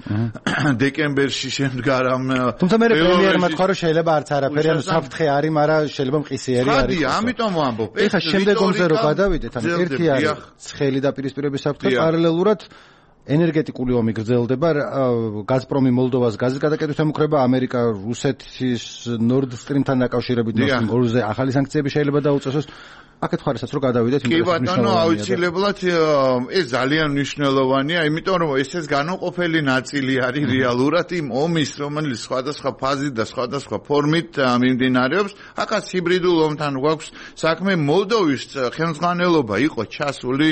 დეკემბერში შემდგარამ. თუმცა მე პრემიერმა თქვა, რომ შეიძლება არც არაფერი, ანუ საფრთხე არის, მაგრამ შეიძლება მყისიერი არის. ხადი, ამიტომ ვამბობ. ეხლა შემდეგ ომზე რო გადავიდეთ, ანუ ერთი არის ცხელი დაპირისპირების საფრთხე, პარალელურად ენერგეტიკული ომი გრძელდება, გაზპრომი მოლდოვას გაზის გადაკეთებით ემუქრება, ამერიკა რუსეთის Nord Stream-თან დაკავშირებით ორზე ახალი სანქციები შეიძლება დაუწესოს. აქეთ ხარისაც რო გადავიდეთ კი ბატონო, აუცილებლად ეს ძალიან მნიშვნელოვანია, იმიტომ რომ ეს განუყოფელი ნაწილი არის რეალურად იმ ომის, რომელიც სხვადასხვა ფაზით და სხვადასხვა ფორმით მიმდინარეობს. აქაც ჰიბრიდულ ომთან გვაქვს საქმე. მოლდოვის ხელმძღვანელობა იყო ჩასული,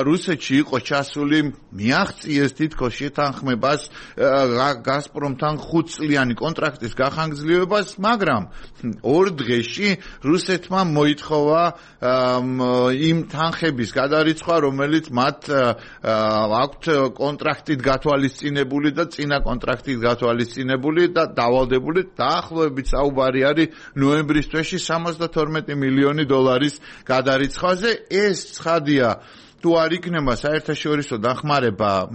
რუსეთში იყო ჩასული, მიაღწიეს თითქოს შეთანხმებას გაზპრომთან 5 წლიანი კონტრაქტის გახანგრძლივებას, მაგრამ 2 დღეში რუსეთმა მოითხოვა იმ თანხების გადარიცხვა, რომელიც მათ აქვთ კონტრაქტით გათვალისწინებული და წინა კონტრაქტით გათვალისწინებული და დავალდებული. დაახლოებით საუბარი არის ნოემბრის თვეში 72 მილიონი დოლარის გადარიცხვაზე. ეს ცხადია, თუ არ იქნება საერთაშორისო დახმარება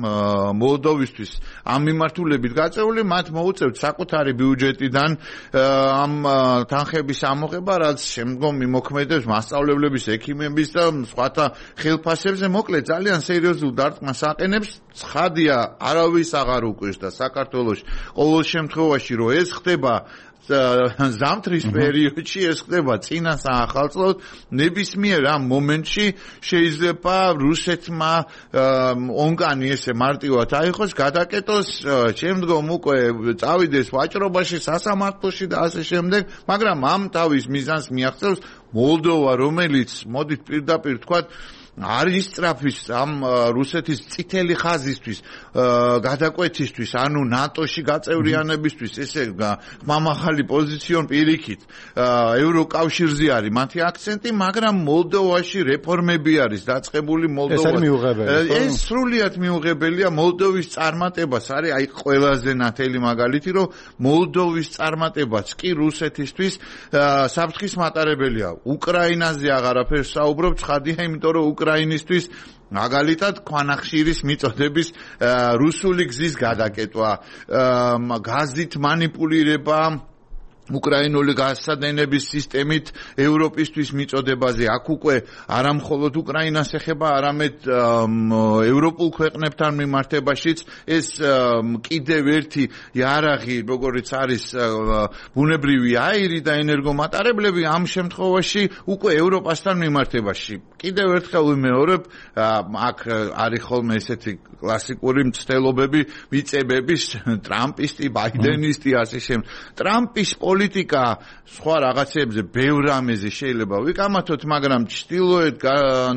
მოლდოვისთვის ამ მიმართულებით გაწეული, მათ მოუწევთ საკუთარი ბიუჯეტიდან ამ თანხების ამოღება, რაც შემდგომი მოქმედებს მასწავლებლების, ექიმების და სხვათა ხელფასებზე. მოკლედ ძალიან სერიოზულ დარტყმას აყენებს. ცხადია, არავის აღარ უკვირს და საქართველოში ყოველ შემთხვევაში რომ ეს ხდება ზამთრის პერიოდში, ეს ხდება წინა საახალწლოდ, ნებისმიერ ამ მომენტში შეიძლება რუსეთმა ონკანი ესე მარტივად აიღოს, გადაკეტოს, შემდგომ უკვე წავიდეს ვაჭრობაში, სასამართლოში და ასე შემდეგ, მაგრამ ამ თავის მიზანს მიაღწევს მოლდოვა, რომელიც მოდით პირდაპირ თქვათ არის სწრაფის ამ რუსეთის წითელი ხაზისთვის, გადაკვეთისთვის, ანუ ნატოში გაწევრიანებისთვის, ესე მამახალი პოზიციონ პირიქით, ევროკავშირზე არის მათი აქცენტი, მაგრამ მოლდოვაში რეფორმები არის დაწყებული მოლდოვაში. ეს სრულიად მიუღებელია. მოლდოვის წარმატებას არის აი ყველაზე ნათელი მაგალითი, რომ მოლდოვის წარმატებაც კი რუსეთისთვის საფრთხის მატარებელია. უკრაინაზე აღარაფერს საუბრობ, ცხადია, იმიტომ რომ უკრაინისთვის მაგალითად ქვანახშირის მიწოდების რუსული გზის გადაკეტვა, გაზით მანიპულირება უკრაინული გასადენების სისტემით ევროპისთვის მიწოდებაზე აქ უკვე არა მხოლოდ უკრაინას ეხება, არამედ ევროპულ ქვეყნებთან მიმართებაშიც ეს კიდევ ერთი იარაღი, როგორც არის ბუნებრივი აირი და ენერგომატარებლები ამ შემთხვევაში უკვე ევროპასთან მიმართებაში. კიდევ ერთხელ ვიმეორებ, აქ არის ხოლმე ესეთი კლასიკური მცდელობები მიწებების, ტრამპისტი, ბაიდენისტი, ასე შემ. ტრამპის პოლიტიკა სხვა რაღაცებზე ბევრ რამეზე შეიძლება ვიკამათოთ, მაგრამ ჩtildeოეთ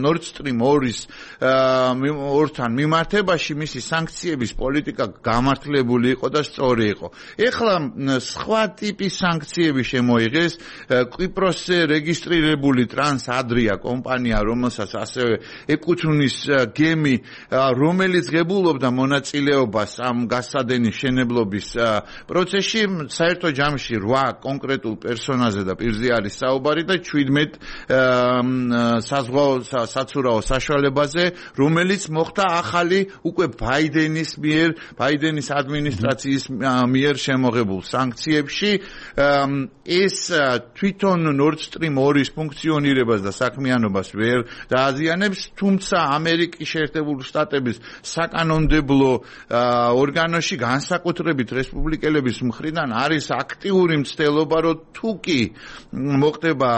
Nord Stream 2-ის ორთან მიმართებაში მისი სანქციების პოლიტიკა გამართლებული იყო და სწორი იყო. ეხლა სხვა ტიპის სანქციები შემოიღეს. კვიპროსზე რეგისტრირებული ტრანსადრია კომპანია, რომელსაც ასევე ეკუთვნის გემი, რომელიც ღებულობდა მონაწილეობას ამ გასადენის შენებლობის პროცესში, საერთო ჯამში 8 კონკრეტულ პერსონაჟზე და პირზე არის საუბარი და 17 საზღვაო საცურაო საშუალებაზე, რომელიც მოხდა ახალი უკვე ბაიდენის ადმინისტრაციის მიერ შემოღებულ სანქციებში. ეს თვითონ Nord Stream 2-ის ფუნქციონირებას და საქმიანობას ვერ დააზიანებს, თუმცა ამერიკის შეერთებული შტატების საკანონმდებლო ორგანოში განსაკუთრებით რესპუბლიკელების მხრიდან არის აქტიური მცდელობა, რომ თუ კი მოხდება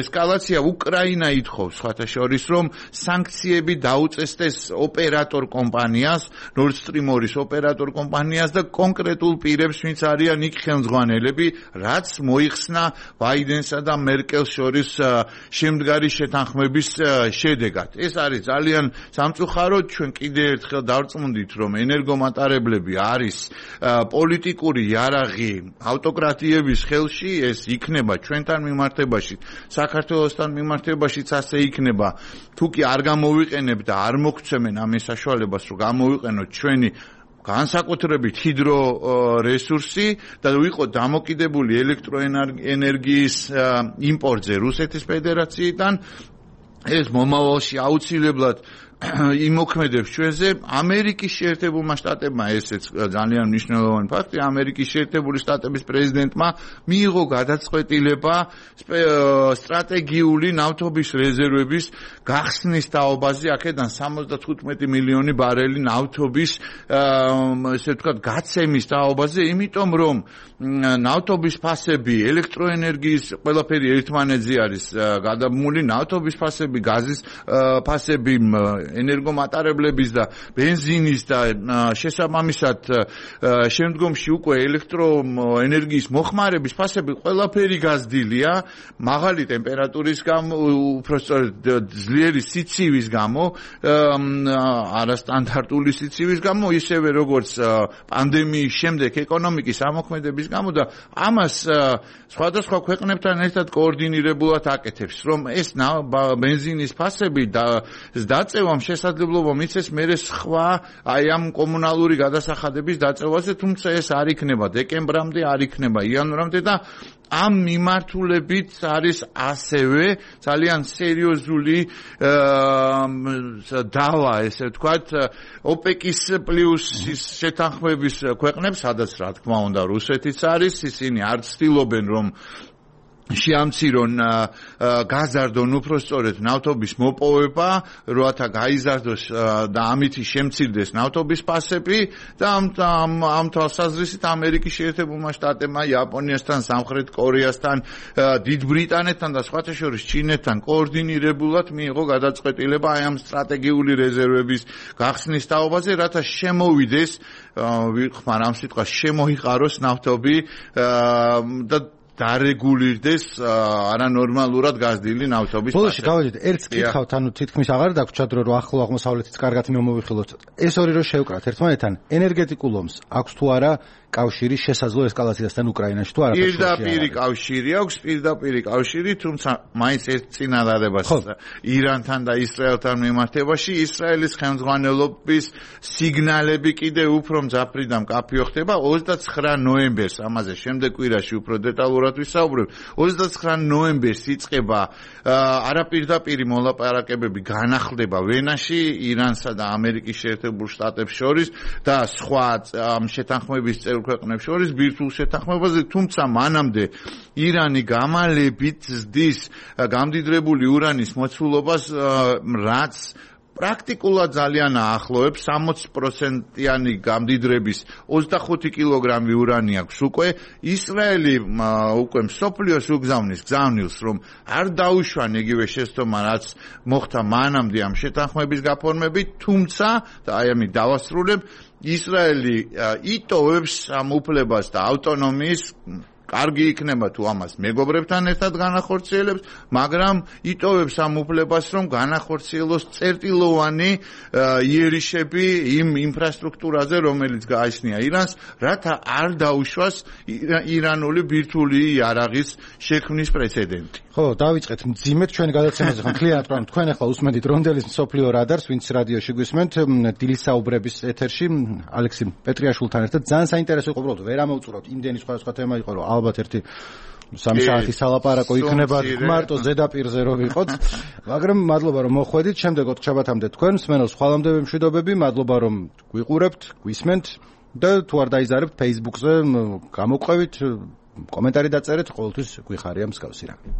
ესკალაცია, უკრაინა ითხოვს სხვათა შორის, რომ სანქციები დაუწესდეს ოპერატორ კომპანიას, Nord Stream 2-ის ოპერატორ კომპანიას და კონკრეტულ პირებს, ვინც არიან იქ ხელმძღვანელები, რაც მოიხსნა ბაიდენსა და მერკელს შორის შემდგარი შეთანხმების შედეგად. ეს არის ძალიან სამწუხაროდ. ჩვენ კიდევ ერთხელ დავწმუნდით, რომ ენერგომატარებლები არის პოლიტიკური იარაღი ავტოკრატიების ხელში, ეს იქნება ჩვენთან მიმართებაში, საქართველოსთან მიმართებაშიც ასე იქნება. თუ კი არ გამოვიყენებ და არ მოგცემენ ამ საშუალებას, რომ გამოვიყენოთ ჩვენი განსაკუთრებით ჰიდრო რესურსი და ვიყო დამოკიდებული ელექტროენერგიის იმპორტზე რუსეთის ფედერაციიდან, ეს მომავალში აუცილებლად იმოქმედებს ჩვენზე. ამერიკის შეერთებულმა შტატებმა, ესეც ძალიან მნიშვნელოვანი ფაქტია, ამერიკის შეერთებული შტატების პრეზიდენტმა მიიღო გადაწყვეტილება სტრატეგიული ნავთობის რეზერვების გახსნის თაობაზე, აქედან 75 მილიონი ბარელი ნავთობის ესე ვთქვათ გაცემის თაობაზე, იმიტომ რომ ნავთობის ფასები, ელექტროენერგიის ყველაფერი ერთმანეთზე არის გადაბმული, ნავთობის ფასები, გაზის ფასები, ენერგომატარებლების და ბენზინის და შესაბამისად შემდგომში უკვე ელექტროენერგიის მოხმარების ფასები ყველაფერი გაზრდილია, მაღალი ტემპერატურის გამო, უბრალოდ ძლიერი სიცივის გამო, არასტანდარტული სიცივის გამო, ისევე როგორც პანდემიის შემდეგ ეკონომიკის ამოქმედების გამო და ამას სხვადასხვა ქვეყნებთან ერთად კოორდინირებულად აკეთებს, რომ ეს ბენზინის ფასები დაწევამ შესაძლებლობა მიცეს მერე სხვა აი ამ კომუნალური გადასახადების დაწევაზე, თუმცა ეს არ იქნება დეკემბრამდე, არ იქნება იანვრამდე და ამ მიმართულებით არის ასევე ძალიან სერიოზული დავა, ესე ვთქვათ, ოპეკის პლუსის შეთანხმების ქვეყნებს, სადაც რა თქმა უნდა რუსეთიც არის, ისინი არ ცდილობენ რომ შეამცირონ გაზარდონ უпростоრეთ ნავთობის მოპოვება, როათა გაიზარდოს და ამით შემცირდეს ნავთობის ფასები და ამ თვალსაზრისით ამერიკის შეერთებულმა შტატებმა იაპონიასთან, სამხრეთ კორეასთან, დიდ ბრიტანეთთან და სხვათა შორის ჩინეთთან კოორდინირებულად მიიღო გადაწყვეტილება აი ამ სტრატეგიული რეზერვების გახსნის თაობაზე, რათა შემოვიდეს, ვიხმარ ამ სიტყვას, შემოიყაროს ნავთობი და დარეგულირდეს არანორმალურად გაზრდილი ნავთობის ფასები. ბოლოში გავედით, ერთს კითხავთ, ანუ თითქმის აღარ დაგვრჩათ, რომ ახლო აღმოსავლეთიც კარგად მიმოვიხილოთ. ეს ორი რო შევკრათ ერთმანეთთან, ენერგეტიკულ ომს აქვს თუ არა კავშირი შესაძლო ესკალაციასთან უკრაინაში თუ არა? პირდაპირი კავშირი აქვს, პირდაპირი კავშირი, თუმცა მაინც ერთ წინადადებას ირანთან და ისრაელთან მიმართებაში ისრაელის ხელმძღვანელობის სიგნალები კიდევ უფრო მძაფრი და მკაფიო ხდება 29 ნოემბერს, ამაზე შემდეგ კვირაში უფრო დეტალურად დეტალურად ვისაუბრებ. 29 ნოემბერს იწყება არაპირდაპირი მოლაპარაკებები განახლდება ვენაში ირანსა და ამერიკის შეერთებულ შტატებს შორის და სხვა შეთანხმების წევრ ქვეყნებს შორის ბირთვულ შეთანხმებაზე, თუმცა მანამდე ირანი გამალებით ზრდის გამდიდრებული ურანის მოცულობას, რაც პრაქტიკულად ძალიან აახლოებს 60%-იანი გამდიდრების 25 კილოგრამი ურანი აქვს უკვე. ისრაელი უკვე მსოფლიოს უგზავნის გზავნილს, რომ არ დაუშვან იგივე შეცდომა, რაც მოხდა მანამდე ამ შეთანხმების გაფორმებით, თუმცა და აი ამით დავასრულებ, ისრაელი იტოვებს ამ უფლებას და ავტონომიის კარგი იქნება თუ ამას მეგობრებთან ერთად განახორციელებს, მაგრამ იტოვებს ამ უფლებას, რომ განახორციელოს წერტილოვანი იერიშები იმ ინფრასტრუქტურაზე, რომელიც გააჩნია ირანს, რათა არ დაუშვას ირანული ბირთვული იარაღის შექმნის პრეცედენტი. ხო, დავიწყეთ მძიმედ ჩვენი გადაცემაზე, ხო, მთლიანად რომ თქვენ ახლა უსმენთ რონდელის მსოფლიო რადარს, ვინც რადიოში გვისმენთ, დილისაუბრების ეთერში ალექსი პეტრიაშვილთან ერთად ძალიან საინტერესო იყო, უბრალოდ ვერ ამოვწურავთ, იმდენი სხვადასხვა თემა იყო, რომ ალბათ ერთი 3 საათის სალაპარაკო იქნება მარტო ზედაპირზე რომ ვიყოთ, მაგრამ მადლობა რომ მოხვედით, შემდეგოთ ჩაბათამდე თქვენ, მსმენელს ხვალამდე მშვიდობები, მადლობა რომ გვიყურებთ, გვისმენთ და თუ არ დაიზარებთ Facebook-ზე გამოყვებით, კომენტარი დაწერეთ, ყოველთვის გვიხარია მსგავსი რამე.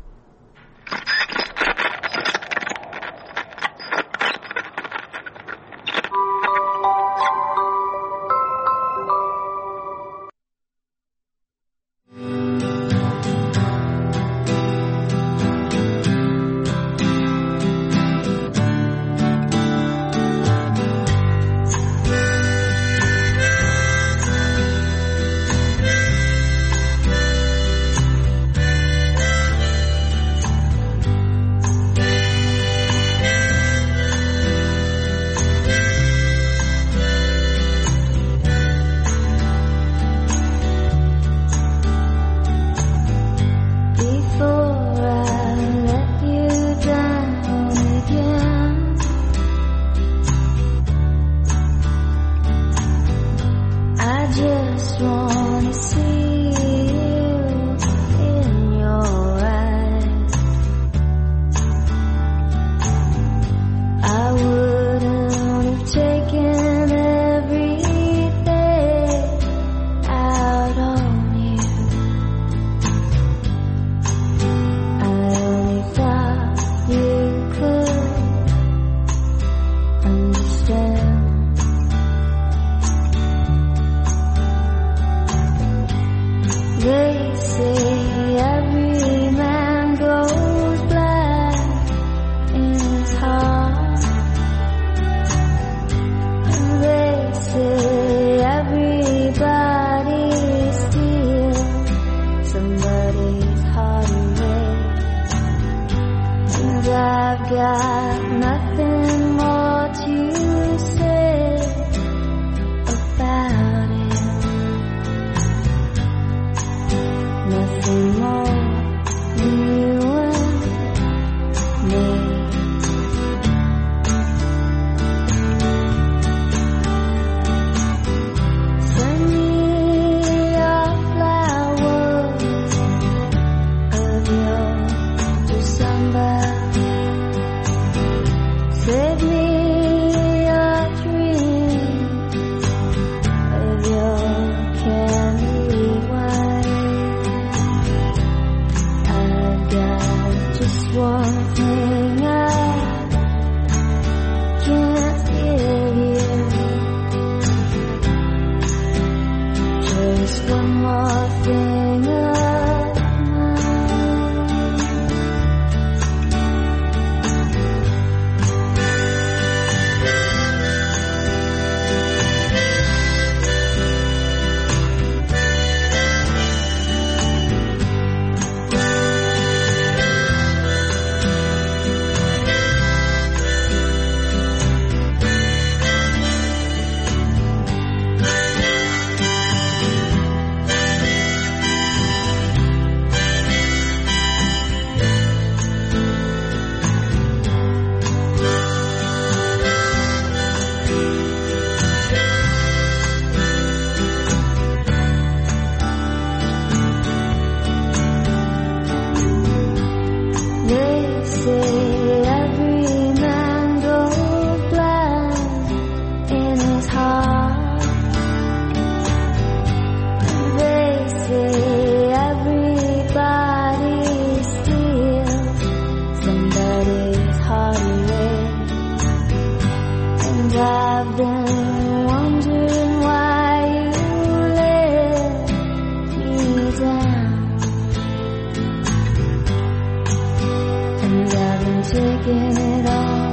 and I've been taking it all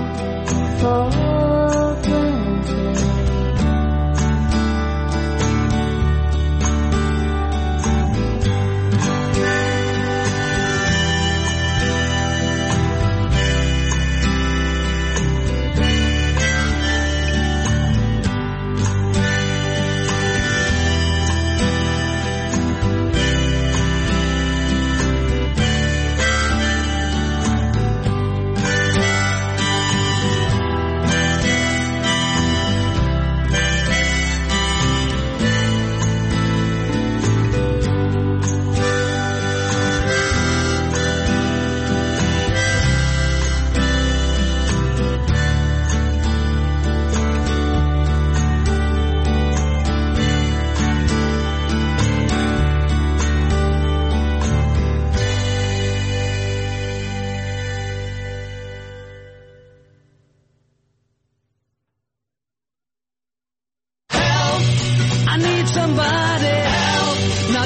for granted.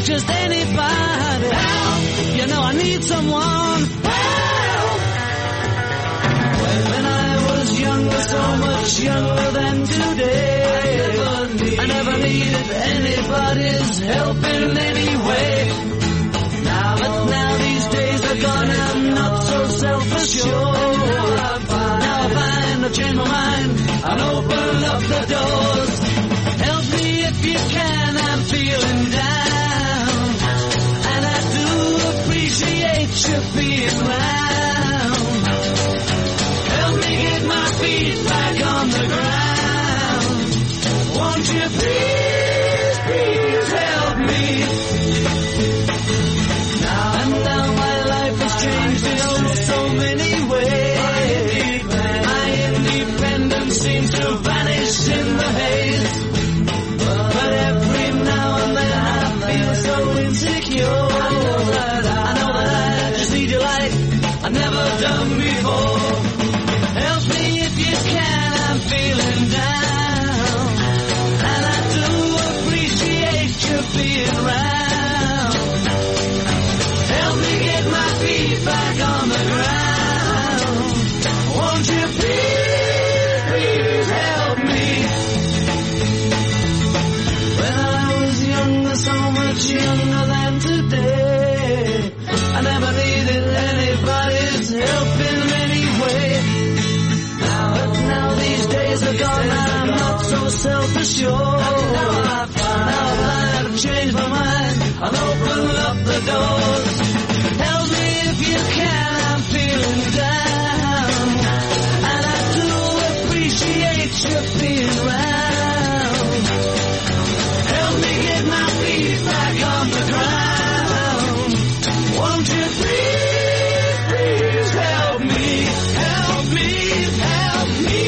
Just anybody help. You know I need someone help. When I was younger, so much younger than today, I never needed anybody's help in any way. Now these days are gone, I'm not so self-assured. Now I find I've changed my mind and open up the doors. Help me if you can, I'm feeling down. Appreciate you being round. Help me get my feet back on the ground. Won't you please, please help me? Now my life has changed in so many ways. My independence seems to vanish in the haze. But every now and then I feel so insecure. I've never done before. Help me if you can, I'm feeling down. And I do appreciate you being around. Help me get my feet back on the ground. Won't you please, please help me? When I was younger, so much younger than today, I never needed anybody's help in any way. Now these days are gone, I'm not so self-assured. Now I've changed my mind, I'll open up the doors. Help me if you can, I'm feeling down. And I do appreciate you being around. Help me get my feet back on the ground. Won't you please help me, help me, help me.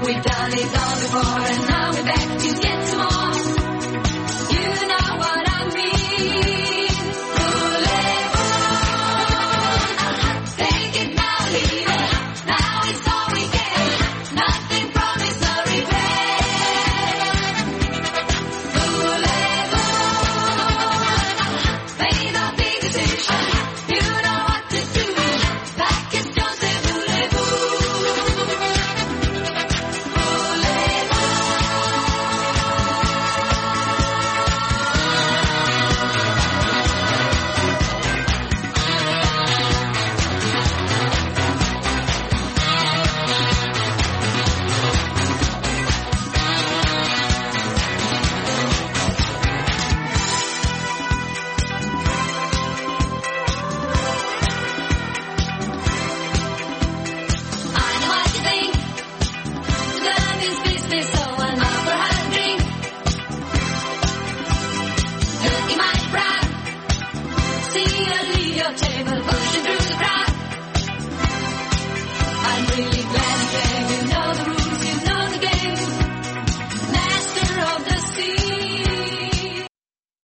We've done it all before.